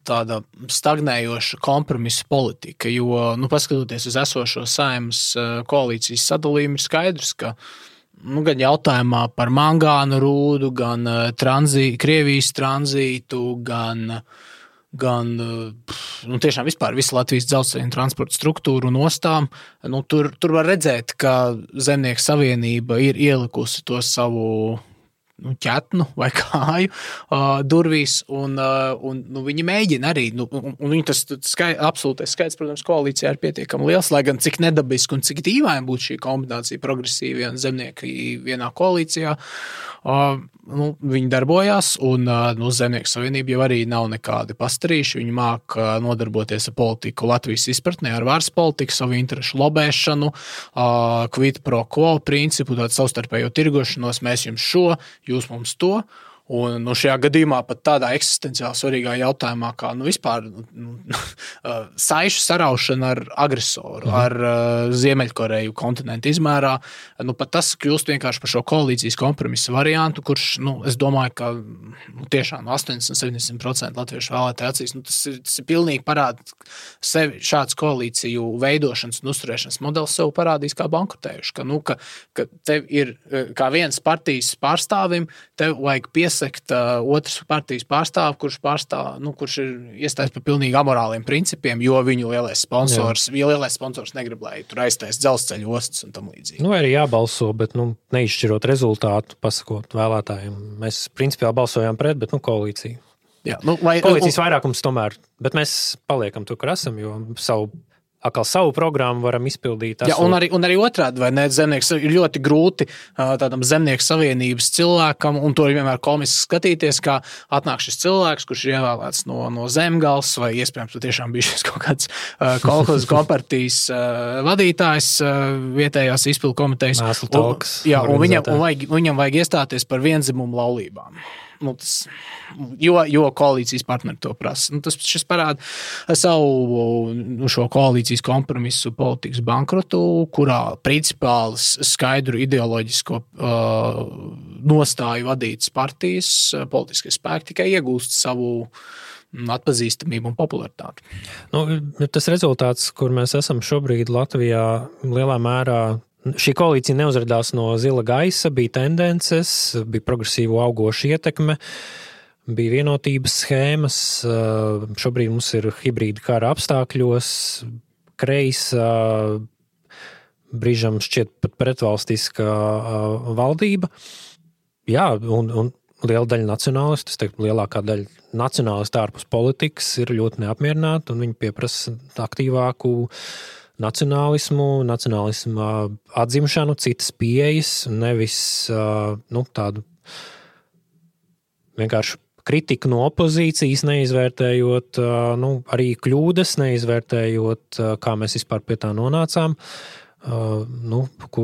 tāda stagnējoša kompromisa politika, jo, paskatoties uz esošo Saeimas koalīcijas sadalījumu, ir skaidrs, ka gan jautājumā par mangānu rūdu, gan Krievijas tranzītu, gan tiešām vispār visu Latvijas dzelzceļa un transporta struktūru un ostām, tur var redzēt, ka Zemnieku savienība ir ielikusi to savu ķetnu vai kāju durvīs, un viņi mēģina arī, un viņi tas absolūtais skaits, protams, koalīcijā ir pietiekami liels, lai gan cik nedabiski un cik dīvaini būtu šī kombinācija progresīvi un zemnieki vienā koalīcijā, viņi darbojās, un Zemnieku savienība jau arī nav nekādi pastarīši, viņi māk nodarboties ar politiku Latvijas izpratnē, ar varas politiku, savu interešu lobēšanu, quid pro quo principu, tādu savstarpējo tirgošanos, mēs jums šo, jūs mums to. Un šajā gadījumā pat tādā eksistenciāli svarīgā jautājumā, kā vispār saišu saraušana ar agresoru, ar Ziemeļkoreju kontinentu izmērā, pat tas kļūst vienkārši par šo koalīcijas kompromisa variantu, kurš, es domāju, ka tiešām 80-70% latviešu vēlētāju acīs, tas ir pilnīgi parāda sevi, šāds koalīciju veidošanas un uzturēšanas modelis sev parādīs kā bankrotējuši, ka tev ir kā viens partijas pārstāvim, tev vajag piesekt otras partijas pārstāvu, kurš ir iestājas par pilnīgi amorāliem principiem, jo viņu lielais sponsors negrib, lai tur aiztais dzelzceļa ostas un tam līdzīgi. Arī jābalso, bet neizšķirot rezultātu, pasakot vēlētājiem. Mēs principiāli balsojām pret, bet koalīcija. Jā, koalīcijas vairākums tomēr, bet mēs paliekam tur, kur esam, jo savu programmu varam izpildīt. Jā, un arī otrādi, vai ne, zemnieks ir ļoti grūti tādam Zemnieku savienības cilvēkam, un to ir vienmēr komiski skatīties, kā atnāk šis cilvēks, kurš ir ievēlēts no Zemgals, vai iespējams tiešām bija šis kaut kāds kolhozu kompartijas vadītājs vietējās izpildu komitejas. Un viņam vajag iestāties par vienzimumu laulībām. Jo koalīcijas partneri to prasa. Šis parāda savu šo koalīcijas kompromisu politikas bankrotu, kurā principāli skaidru ideoloģisko nostāju vadītas partijas politiskie spēki tikai iegūst savu atpazīstamību un popularitāti. Tas rezultāts, kur mēs esam šobrīd Latvijā, lielā mērā šī koalīcija neuzradās no zila gaisa, bija tendences, bija progresīvo augoša ietekme, bija vienotības schēmas, šobrīd mums ir hibrīda kara apstākļos, kreisa, brīžam šķiet pat pretvalstiska valdība. Jā, un liela daļa nacionālistu, es teiktu, lielākā daļa nacionālistu ārpus politikas ir ļoti neapmierināti, un viņi pieprasa aktīvāku nacionālismu atzimšanu, citas pieejas, nevis tādu vienkārši kritiku no opozīcijas, neizvērtējot arī kļūdas, neizvērtējot, kā mēs vispār pie tā nonācām, ko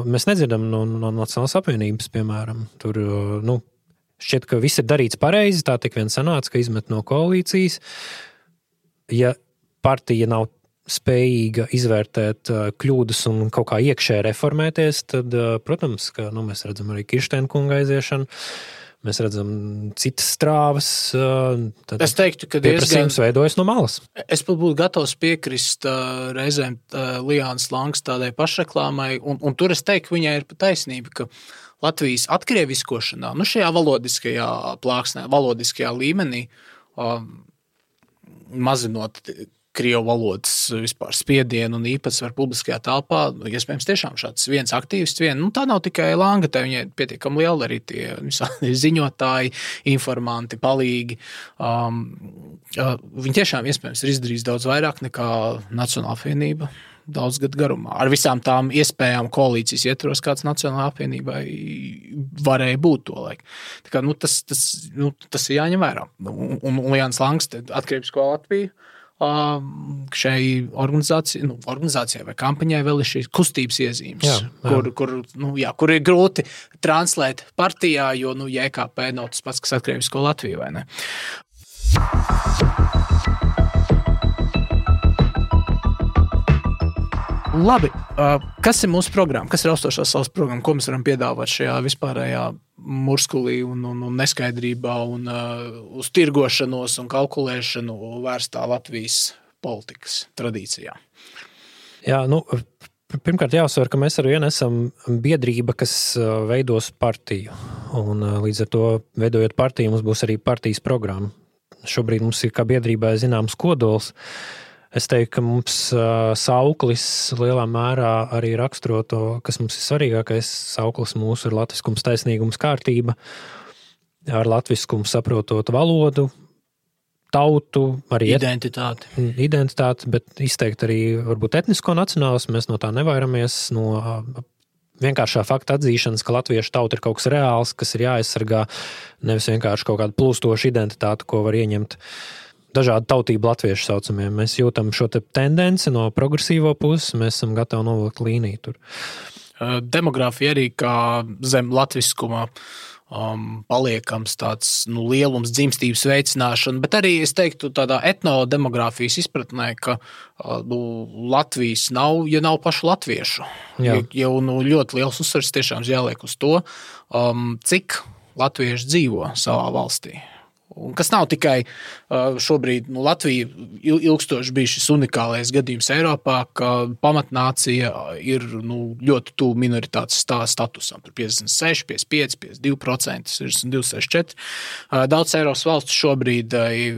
mēs nedzirdam no Nacionālās apvienības, piemēram. Tur, šķiet, ka viss ir darīts pareizi, tā tik vien sanāca, ka izmet no koalīcijas. Ja partija nav spējīga izvērtēt kļūdas un kaut kā iekšē reformēties, tad, protams, ka mēs redzam arī Kirsteina kunga aiziešanu, mēs redzam citas strāvas. Es teiktu, ka pieprasījums veidojas no malas. Es pat būtu gatavs piekrist reizēm Liānas Langas tādai pašreklāmai, un tur es teiktu, ka viņai ir pat taisnība, ka Latvijas atkrieviskošanā, šajā valodiskajā plāksnē, valodiskajā līmenī, mazinot krievu valodas vispār spiedienu un īpatsvaru publiskajā telpā, iespējams tiešām šāds viens aktīvists, tā nav tikai Langa, tā viņai pietiekami liela arī tie ziņotāji, informanti, palīgi. Viņi tiešām iespējams ir izdarījis daudz vairāk nekā Nacionālā apvienība daudz gadu garumā. Ar visām tām iespējām koalīcijas ietvaros, kāds Nacionālā apvienībai varēja būt to laiku. Tā kā, tas ir jāņem vērā. Un Liāns Langs atkrievisko Latviju šai organizācijai vai kampaņai vēl ir šīs kustības iezīmes, kur ir grūti translēt partijā, jo JKP nav tas pats, kas atkrievisko Latviju, vai ne? Labi, kas ir mūsu programma? Kas ir Austošās saules programma? Ko mēs varam piedāvāt šajā vispārējā murskulī un neskaidrībā un uz tirgošanos un kalkulēšanu vērstā Latvijas politikas tradīcijā? Jā, pirmkārt jāuzsver, ka mēs ar vienu esam biedrība, kas veidos partiju. Un līdz ar to, veidojot partiju, mums būs arī partijas programma. Šobrīd mums ir kā biedrībai zināms kodols. Es teiktu, ka mums sauklis lielā mērā arī raksturo to, kas mums ir svarīgākais. Sauklis mūsu ir latviskums, taisnīgums, kārtība, ar latviskumu saprotot valodu, tautu, arī identitāti, bet izteikt arī varbūt etnisko nacionālismu. Mēs no tā nevairamies, no vienkāršā fakta atzīšanas, ka latviešu tauta ir kaut kas reāls, kas ir jāaizsargā, nevis vienkārši kaut kāda plūstoša identitāte, ko var ieņemt dažādu tautību latviešu saucamiem. Mēs jūtam šo te tendenci no progresīvo puses, mēs esam gatavi novilkt līniju tur. Demogrāfija arī kā zem latviskuma paliekams tāds lielums, dzimstības veicināšana, bet arī, es teiktu, tādā etnodemogrāfijas izpratnē, ka Latvijas nav, ja nav pašu latviešu. Jau ļoti liels uzsvars tiešām jāliek uz to, cik latvieši dzīvo savā valstī. Un kas nav tikai šobrīd, Latvija ilgstoši bija šis unikālais gadījums Eiropā, ka pamatnācija ir ļoti tuvu minoritātes statusam. Tur 56, 55, 52%, 62, 64. Daudz Eiropas valstu šobrīd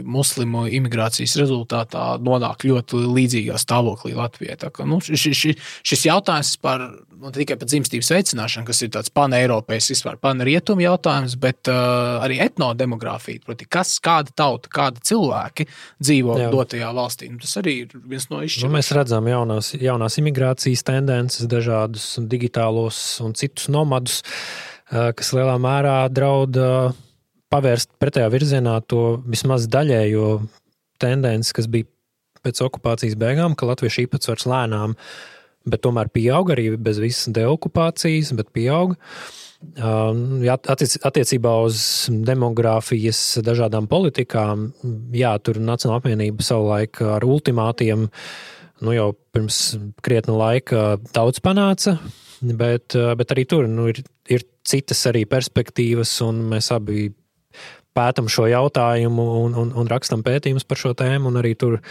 muslimu imigrācijas rezultātā nonāk ļoti līdzīgā stāvoklī Latvijai. Tā kā, šis jautājums par tikai par dzimstības veicināšanu, kas ir tāds paneiropējs, vispār panrietumu jautājums, bet arī etnodemogrāfija, proti, kāda tauta, kāda cilvēki dzīvo dotajā valstī. Tas arī ir viens no izšķirības. Mēs redzam jaunās imigrācijas tendences, dažādus digitālos un citus nomadus, kas lielā mērā draud pavērst pretējā virzienā to vismaz daļējo tendenci, kas bija pēc okupācijas beigām, ka latviešu īpatsvars lēnām, bet tomēr pieauga arī bez visas deokupācijas, bet pieauga. Attiecībā uz demogrāfijas dažādām politikām, tur Nacionālā apvienība savulaik ar ultimātiem, jau pirms krietna laika daudz panāca, bet arī tur ir citas arī perspektīvas, un mēs abi pētam šo jautājumu un rakstam pētījumus par šo tēmu, un arī tur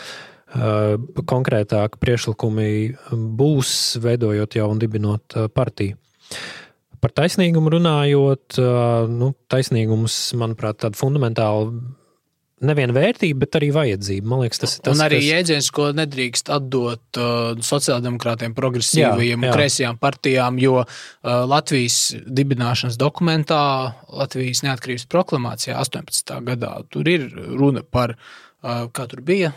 konkrētāki priekšlikumi būs, veidojot jau un dibinot partiju. Par taisnīgumu runājot, taisnīgums, manuprāt, tāda fundamentāla nevien vērtība, bet arī vajadzība. Man liekas, tas ir tas, un arī jēdziens, ko nedrīkst atdot sociāldemokrātiem, progresīvajiem un kreisajām partijām, jo Latvijas dibināšanas dokumentā, Latvijas neatkarības proklamācijā 18. gadā, tur ir runa par, kā tur bija,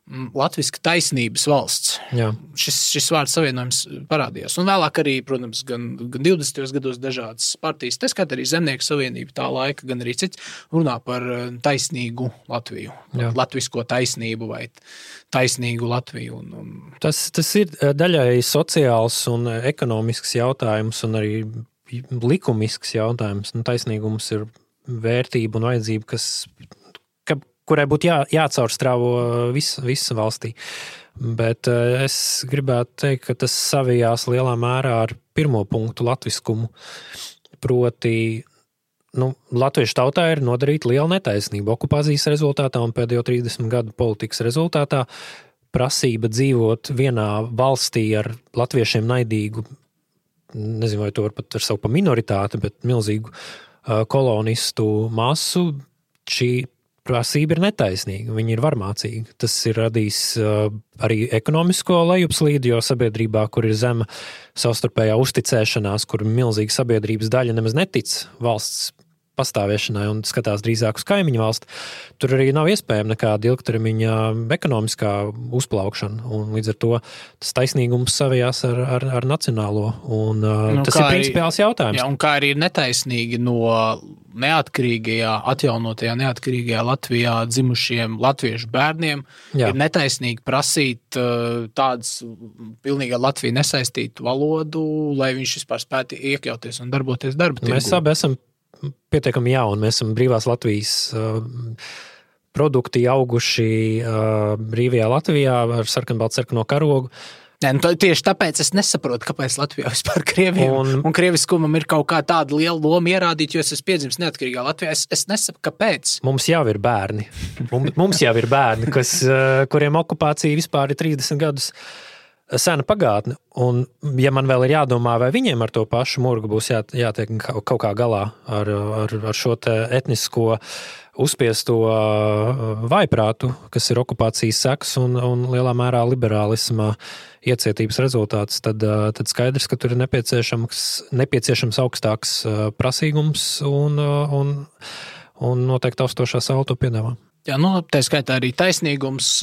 latviska taisnības valsts. Jā. Šis vārds savienojums parādījās. Un vēlāk arī, protams, gan 20. gados dažādas partijas, tā skaitā arī Zemnieku savienība tā laika, gan arī cits, runā par taisnīgu Latviju. Jā. Latvisko taisnību vai taisnīgu Latviju. Tas ir daļai sociāls un ekonomisks jautājums un arī likumisks jautājums. Taisnīgums ir vērtība un vajadzība, kurai būtu jācaurstrāvo visa valstī. Bet es gribētu teikt, ka tas savijās lielā mērā ar pirmo punktu latviskumu. Proti, latviešu tautā ir nodarīta liela netaisnība okupācijas rezultātā un pēdējo 30 gadu politikas rezultātā prasība dzīvot vienā valstī ar latviešiem naidīgu, nezinu, vai to var saukt par minoritāti, bet milzīgu kolonistu masu, šī prasība ir netaisnīga, viņi ir varmācīgi. Tas ir radījis arī ekonomisko lejupslīdi, jo sabiedrībā, kur ir zema savstarpējā uzticēšanās, kur milzīga sabiedrības daļa nemaz netic valsts pastāvēšanai un skatās drīzāk uz kaimiņu valsti, tur arī nav iespējama nekāda ilgtermiņa ekonomiskā uzplaukšana. Un līdz ar to tas taisnīgums savijās ar nacionālo. Un tas ir principiāls jautājums. Jā, un kā arī ir netaisnīgi no atjaunotajā neatkarīgajā Latvijā dzimušiem latviešu bērniem, ir netaisnīgi prasīt tādas pilnīgi ar Latviju nesaistītu valodu, lai viņš vispār spētu iekļauties un darboties darba tirgū. Mēs abi esam pietiekami jauni. Mēs esam brīvās Latvijas produkti auguši brīvajā Latvijā ar sarkanbaltsarkano karogu. Tieši tāpēc es nesaprotu, kāpēc Latvijā vispār krieviem un krieviskumam ir kaut kā tāda liela loma ierādīt, jo es esmu piedzimis neatkarīgā Latvijā. Es nesaprotu, kāpēc. Mums jau ir bērni. Mums jau ir bērni, kuriem okupācija vispār ir 30 gadus sena pagātne, un ja man vēl ir jādomā, vai viņiem ar to pašu murgu būs jātiek kaut kā galā ar šo te etnisko uzspiesto vaiprātu, kas ir okupācijas sekas un lielā mērā liberālisma iecietības rezultāts, tad skaidrs, ka tur ir nepieciešams augstāks prasīgums un noteikti taustošā saule to piedāvā. Jā, tā skaitā arī taisnīgums.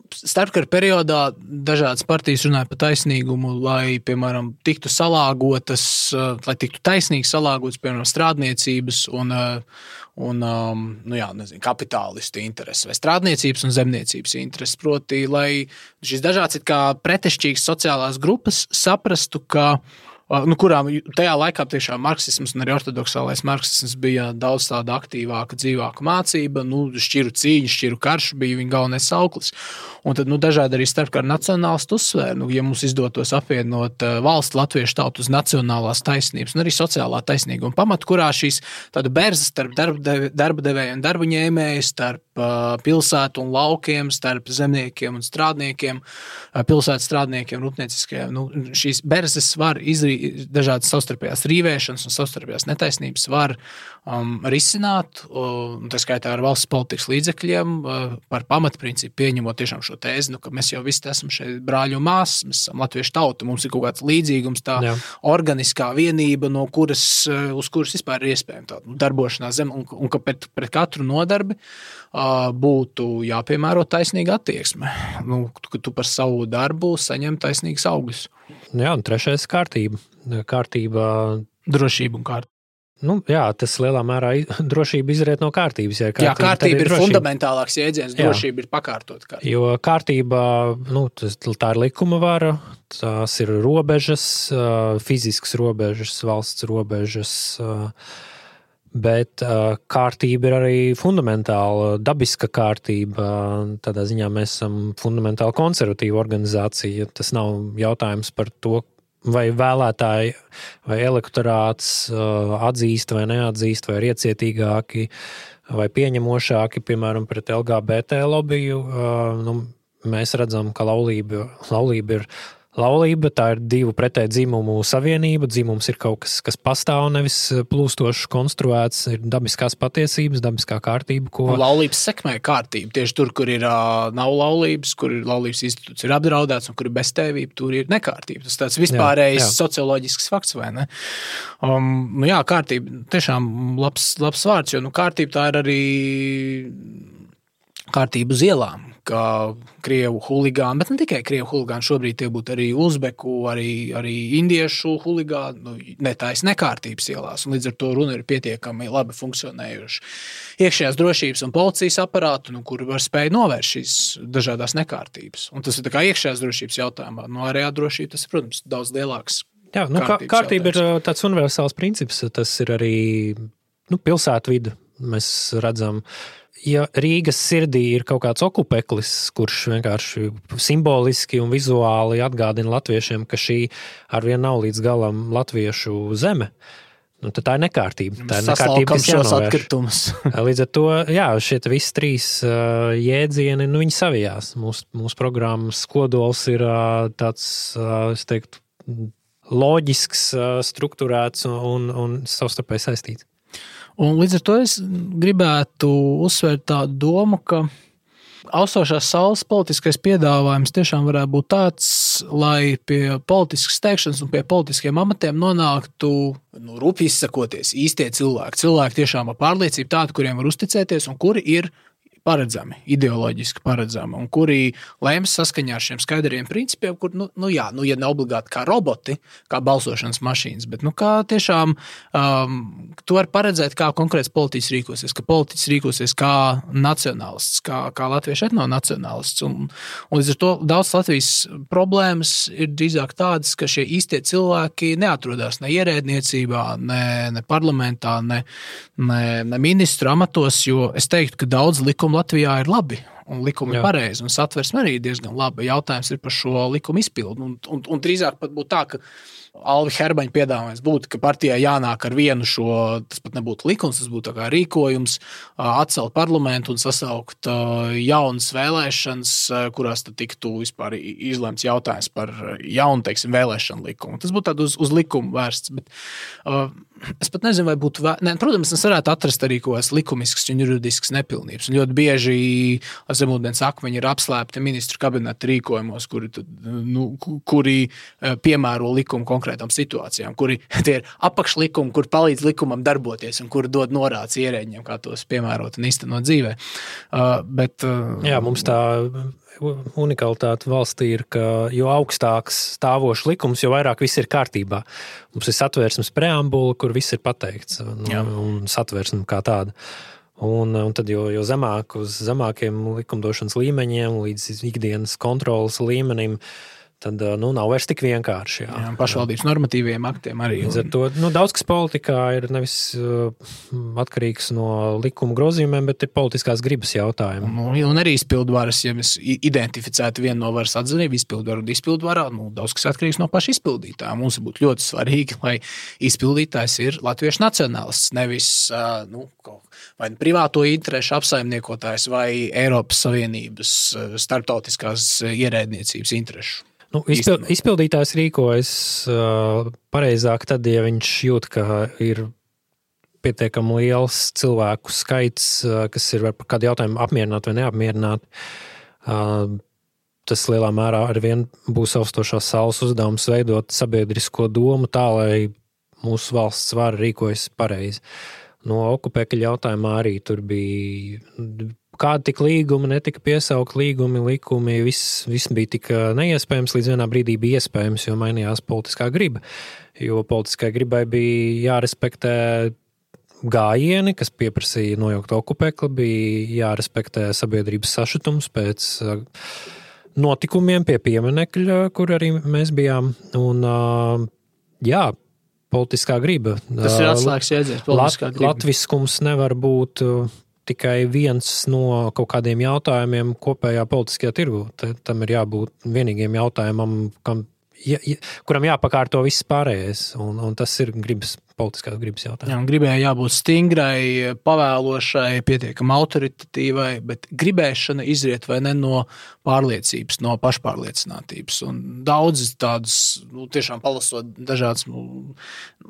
Starpkara periodā dažādas partijas runāja par taisnīgumu, lai, piemēram, tiktu salāgotas, lai tiktu taisnīgi salāgotas, piemēram, strādniecības un kapitālistu intereses vai strādniecības un zemniecības intereses. Proti, lai šīs dažādas it kā pretešķīgas sociālās grupas saprastu, ka kurām tajā laikā tiešām marksisms un arī ortodoksālais marksisms bija daudz tāda aktīvāka, dzīvāka mācība, šķiru cīņa, šķiru karš bija viņa galvenais sauklis. Un tad dažādi arī starpkara nacionālisti uzsvēra, ja mums izdotos apvienot valsts latviešu tautu uz nacionālās taisnības un arī sociālā taisnīguma pamatu, kurā šīs tāda berza starp darba devēju un darba ņēmēju, starp pilsētu un laukiem, starp zemniekiem un strādniekiem, pilsētas strādniekiem, rūpnieciskajiem. Šīs berzes var dažādas savstarpējās rīvēšanas un savstarpējās netaisnības var risināt, un tā skaitā ar valsts politikas līdzekļiem par pamatprincipu pieņemot tiešām šo tēzi, ka mēs jau visi esam šeit brāļi un māsas, mēs esam latviešu tauta, mums ir kaut kāds līdzīgums, tā organiskā vienība, uz kuras vispār ir iespējama tā darbošanās zem, un ka pret katru nodarbi būtu jāpiemēro taisnīga attieksme, ka tu par savu darbu saņem taisnīgas augļus. Jā, un trešais kārtība. Drošība un kārtība. Tas lielā mērā drošība izriet no kārtības. Jā, kārtība ir fundamentālāks jēdziens, drošība ir pakārtot kārtība. Jo kārtība, tā ir likuma vara, tās ir robežas, fiziskas robežas, valsts robežas, bet kārtība ir arī fundamentāla, dabiska kārtība. Tādā ziņā mēs esam fundamentāli konservatīva organizācija. Tas nav jautājums par to, vai vēlētāji vai elektorāts atzīst vai neatzīst, vai ir iecietīgāki vai pieņemošāki, piemēram, pret LGBT lobiju. Mēs redzam, ka laulība ir laulība, tā ir divu pretēju dzimumu savienība. Dzimums ir kaut kas, kas pastāv, nevis plūstoši konstruēts, ir dabiskās patiesības, dabiskā kārtība, ko... Laulības sekmē kārtība. Tieši tur, kur ir nav laulības, kur ir laulības institūts ir apdraudēts un kur ir beztēvība, tur ir nekārtība. Tas tāds vispārējs socioloģisks fakts, vai ne? Kārtība tiešām labs vārds, jo kārtība tā ir arī kārtība uz ielām, kā krievu huligāni, bet ne tikai krievu huligāni, šobrīd tie būtu arī uzbeku, arī indiešu huligāni, netais nekārtības ielās, un līdz ar to runa ir pietiekami labi funkcionējuši iekšējās drošības un policijas aparātu, kuri var spēj novērst šīs dažādās nekārtības. Un tas ir tā kā iekšējās drošības jautājumā, ārējā drošība, tas ir, protams, daudz lielāks. Jā, kārtība ir tāds universāls princips, tas ir arī pilsētvida, mēs redzam. Ja Rīgas sirdī ir kaut kāds okupeklis, kurš vienkārši simboliski un vizuāli atgādina latviešiem, ka šī arvien nav līdz galam latviešu zeme, tad tā ir nekārtība. Tā ir nekārtība, kas jānovērš. Līdz ar to, šie visi trīs jēdzieni, viņi savijās. Mūsu programmas kodols ir tāds, es teiktu, loģisks, strukturēts un savstarpēji saistīts. Un līdz ar to es gribētu uzsvērt tādu domu, ka austošās saules politiskais piedāvājums tiešām varētu būt tāds, lai pie politiskas teikšanas un pie politiskiem amatiem nonāktu, rūpīgi izsakoties, īstie cilvēki. Cilvēki tiešām ar pārliecību tādu, kuriem var uzticēties un kuri ir paredzami, ideoloģiski paredzami, un kuri lēms saskaņā ar šiem skaidriem principiem, kur, ja ne obligāti kā roboti, kā balsošanas mašīnas, bet, kā tiešām tu vari paredzēt, kā konkrēts politiķis rīkosies, ka politiķis rīkosies kā nacionālists, kā latviešu etnonacionālists, un līdz ar to daudz Latvijas problēmas ir drīzāk tādas, ka šie īstie cilvēki neatrodās ne ierēdniecībā, ne parlamentā, ne ministru amatos, jo es teiktu, ka daudz likumu Latvijā ir labi, un likumi ir pareizi, un satversme arī diezgan labi. Jautājums ir par šo likumu izpildu. Un drīzāk pat būtu tā, ka Alvi Herbaņa piedāvājums būtu, ka partijai jānāk ar vienu šo, tas pat nebūtu likums, tas būtu tā kā rīkojums, atcelt parlamentu un sasaukt jaunas vēlēšanas, kurās tad tiktu vispār izlemts jautājums par jaunu, teiksim, vēlēšanu likumu. Tas būtu tādu uz likumu vērsts, bet es pat nezinu, vai būtu protams, es varētu atrast arī kaut kādas likumiskas un juridiskas nepilnības. Un ļoti bieži zemūdens akmeņi ir apslēpti ministru kabineta rīkojumos, kuri piemēro likumu konkrētām situācijām, kuri tie ir apakšlikumi, kur palīdz likumam darboties un kuri dod norādes ierēģiem, kā tos piemērot un īstenot dzīvē. Mums tā unikalitāte valstī ir, ka jo augstāks stāvošs likums, jo vairāk viss ir kārtībā. Mums ir satversmes preambula, kur viss ir pateikts, un satversme kā tāda. Un tad, jo zemāk uz zemākiem likumdošanas līmeņiem, līdz ikdienas kontrolas līmenim, tad nav vairs tik vienkārši. Pašvaldības normatīviem aktiem arī. Līdz ar to daudz kas politikā ir nevis atkarīgs no likuma grozījumiem, bet ir politiskās gribas jautājumi. Un arī izpildvaras, ja mēs identificētu vienu no varas atzinību, izpildvaru un izpildvarā, daudz kas atkarīgs no paša izpildītājā. Mums būtu ļoti svarīgi, lai izpildītājs ir latviešu nacionālists, nevis vai privāto interešu apsaimniekotājs vai Eiropas Savienības starptautiskās ierēdniecības interešu. Izpildītājs rīkojas pareizāk tad, ja viņš jūt, ka ir pietiekami liels cilvēku skaits, kas ir par kādu jautājumu apmierināt vai neapmierināt. Tas lielā mērā arvien būs austošās saules uzdevums veidot sabiedrisko domu tā, lai mūsu valsts vara rīkojas pareizi. No okupēkļa jautājumā arī tur bija kādi tik līgumi, netika piesaukt līgumi, likumi, viss bija tik neiespējams, līdz vienā brīdī bija iespējams, jo mainījās politiskā griba. Jo politiskai gribai bija jārespektē gājieni, kas pieprasīja nojaukt okupekli, bija jārespektē sabiedrības sašutums pēc notikumiem pie pieminekļa, kur arī mēs bijām. Un, politiskā griba. Tas ir atslēgas jēdziens, politiskā griba. Latviskums nevar būt tikai viens no kaut kādiem jautājumiem kopējā politiskajā tirgu. Tam ir jābūt vienīgiem jautājumam, kam kuram jāpakārto viss pārējais, un tas ir politiskās gribas jautājums. Jā, un gribēja jābūt stingrai, pavēlošai, pietiekami autoritatīvai, bet gribēšana izriet vai ne no pārliecības, no pašpārliecinātības. Un daudz tādus, tiešām palasot dažādas,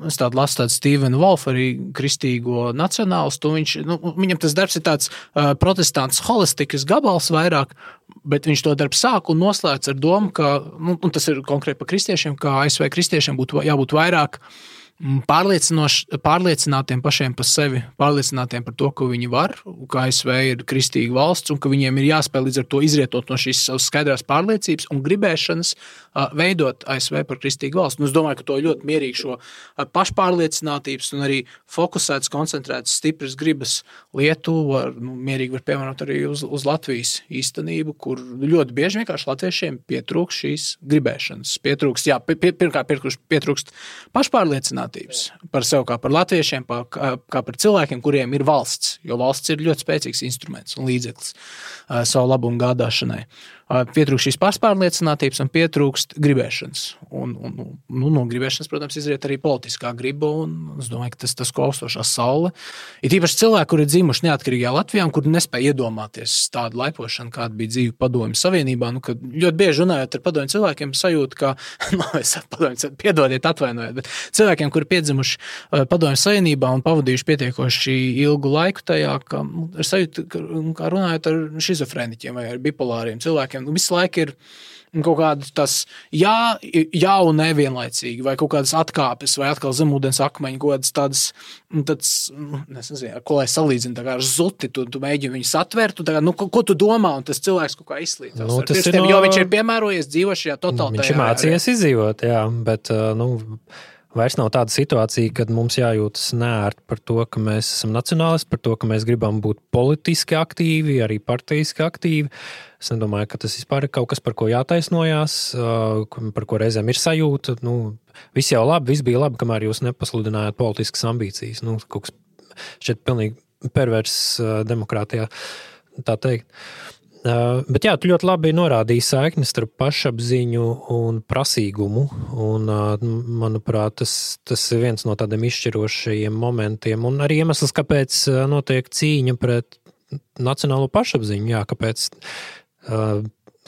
es tādu lasu tādu Stevenu Wolfu, arī kristīgo nacionālistu, viņam tas darbs ir tāds protestants holistikas gabals vairāk, bet viņš to darbu sāk un noslēdz ar domu, ka, un tas ir konkrēti par kristiešiem, ka ASV kristiešiem būtu jābūt vairāk pārliecinātiem pašiem par sevi, pārliecinātiem par to, ka viņi var, ka ASV ir kristīga valsts un ka viņiem ir jāspēj līdz ar to izrietot no šīs savas skaidrās pārliecības un gribēšanas veidot ASV par kristīgu valsts. Un es domāju, ka to ļoti mierīgi šo pašpārliecinātības un arī fokusētas, koncentrētas, stipras gribas lietu mierīgi var piemērot arī uz Latvijas īstenību, kur ļoti bieži vienkārši latviešiem pietrūkst šīs gribēšanas. Pirmkārt pietrūkst pašpārliecinātības par sevi kā par latviešiem, kā par cilvēkiem, kuriem ir valsts, jo valsts ir ļoti spēcīgs instruments un līdzeklis savu labumu gādāšanai. Pietrūkst šīs pašpārliecinātības un pietrūkst gribēšanas. Un no gribēšanas, protams, izriet arī politiskā griba, un es domāju, ka tas ko austošā saule. Ir īpaši cilvēki, kuri ir dzimuši neatkarīgajā Latvijā un kuri nespēja iedomāties tādu laipošanu, kāda bija dzīve Padomju Savienībā. Kad ļoti bieži runājot ar padomju cilvēkiem, sajūta, ka, piedodiet, atvainojiet, bet cilvēkiem, kuri piedzimuši Padomju Savienībā un pavadījuši pietiekoši ilgu laiku tajā, ka ir sajūta, kā runājot ar šizofrēniķiem vai ar bipolāriem cilvēkiem, visu laiku ir kaut kāda tas jā un nevienlaicīgi, vai kaut kādas atkāpes, vai atkal zemūdens akmeņi, kaut kādas tādas, nezinu, ko lai salīdzinu, tā kā ar zuti, tu mēģini viņus atvērt, ko tu domā, un tas cilvēks kaut kā izslītās. Jo viņš ir piemērojies dzīvo šajā totalitārijā. Viņš ir mācījies izdzīvot, jā, bet, vairs nav tāda situācija, kad mums jājūtas neērti par to, ka mēs esam nacionālisti, par to, ka mēs gribam būt politiski aktīvi, arī partijiski aktīvi. Es nedomāju, ka tas vispār ir kaut kas, par ko jātaisnojās, par ko reizēm ir sajūta. Viss jau labi, viss bija labi, kamēr jūs nepasludinājāt politiskas ambīcijas. Kaut kas šķiet pilnīgi pervers demokrātijā, tā teikt. Bet jā, tu ļoti labi norādīji saikni starp pašapziņu un prasīgumu, un manuprāt, tas ir viens no tādiem izšķirošajiem momentiem, un arī iemesls, kāpēc notiek cīņa pret nacionālo pašapziņu, jā,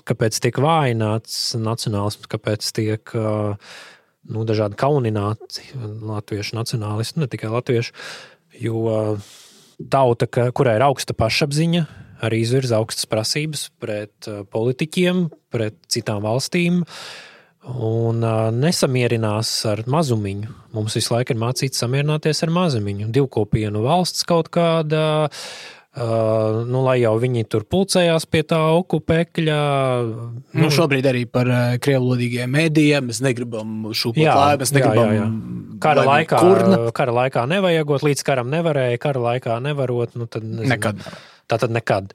kāpēc tiek vājināts nacionālisms, kāpēc tiek dažādi kaunināti latviešu nacionālisti, ne tikai latviešu, jo tauta, kurai ir augsta pašapziņa, arī izvirza augstas prasības pret politiķiem, pret citām valstīm un nesamierinās ar mazumiņu. Mums visu laiku ir mācīts samierināties ar mazumiņu. Divkopienu valsts kaut kāda, lai jau viņi tur pulcējās pie tā okupekļa. Šobrīd arī par krievlodīgiem mēdījiem. Mēs negribam šūpot lāju, mēs negribam Kara laikā nevajagot, līdz karam nevarēja, kara laikā nevarot. Tad nezinu. Nekad. Tātad nekad.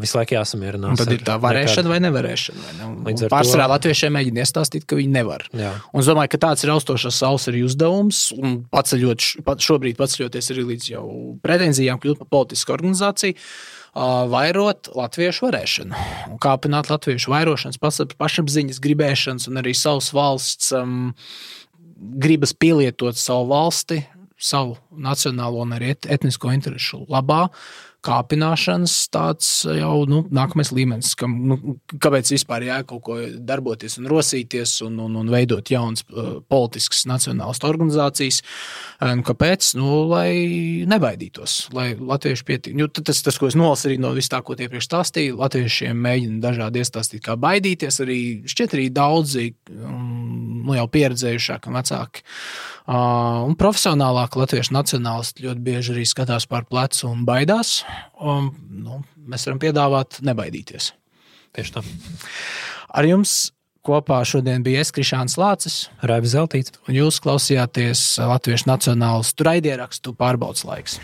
Visu laiku jāsamierinās. Un tad ir tā varēšana vai nevarēšana. Pārsvarā latviešiem mēģina iestāstīt, ka viņi nevar. Jā. Un es domāju, ka tāds ir austošās saules arī uzdevums, un šobrīd paceļoties arī līdz jau pretenzijām kļūt par politisku organizāciju, vairot latviešu varēšanu. Un kāpināt latviešu vairošanas, pašapziņas, gribēšanas un arī savas valsts gribas pielietot savu valsti, savu nacionālo un arī etnisko interešu labā, kāpināšanas tāds jau nākamais līmenis, kāpēc vispār kaut ko darboties un rosīties un veidot jaunas politiskas nacionālas organizācijas. Kāpēc? Lai nebaidītos, lai latvieši pietik. Tas, ko es nolasu arī no viss tā, ko iepriekš stāstīju, latviešiem mēģina dažādi iestāstīt, kā baidīties, šķiet arī daudzi jau pieredzējušāki un vecāki. Un profesionālāk latviešu nacionālisti ļoti bieži arī skatās pār plecu un baidās. Mēs varam piedāvāt nebaidīties. Tieši tā. Ar jums kopā šodien bija Krišāns Lācis, Raivis Zeltīts, un jūs klausījāties Latviešu nacionālistu raidierakstu Pārbaudes laiks.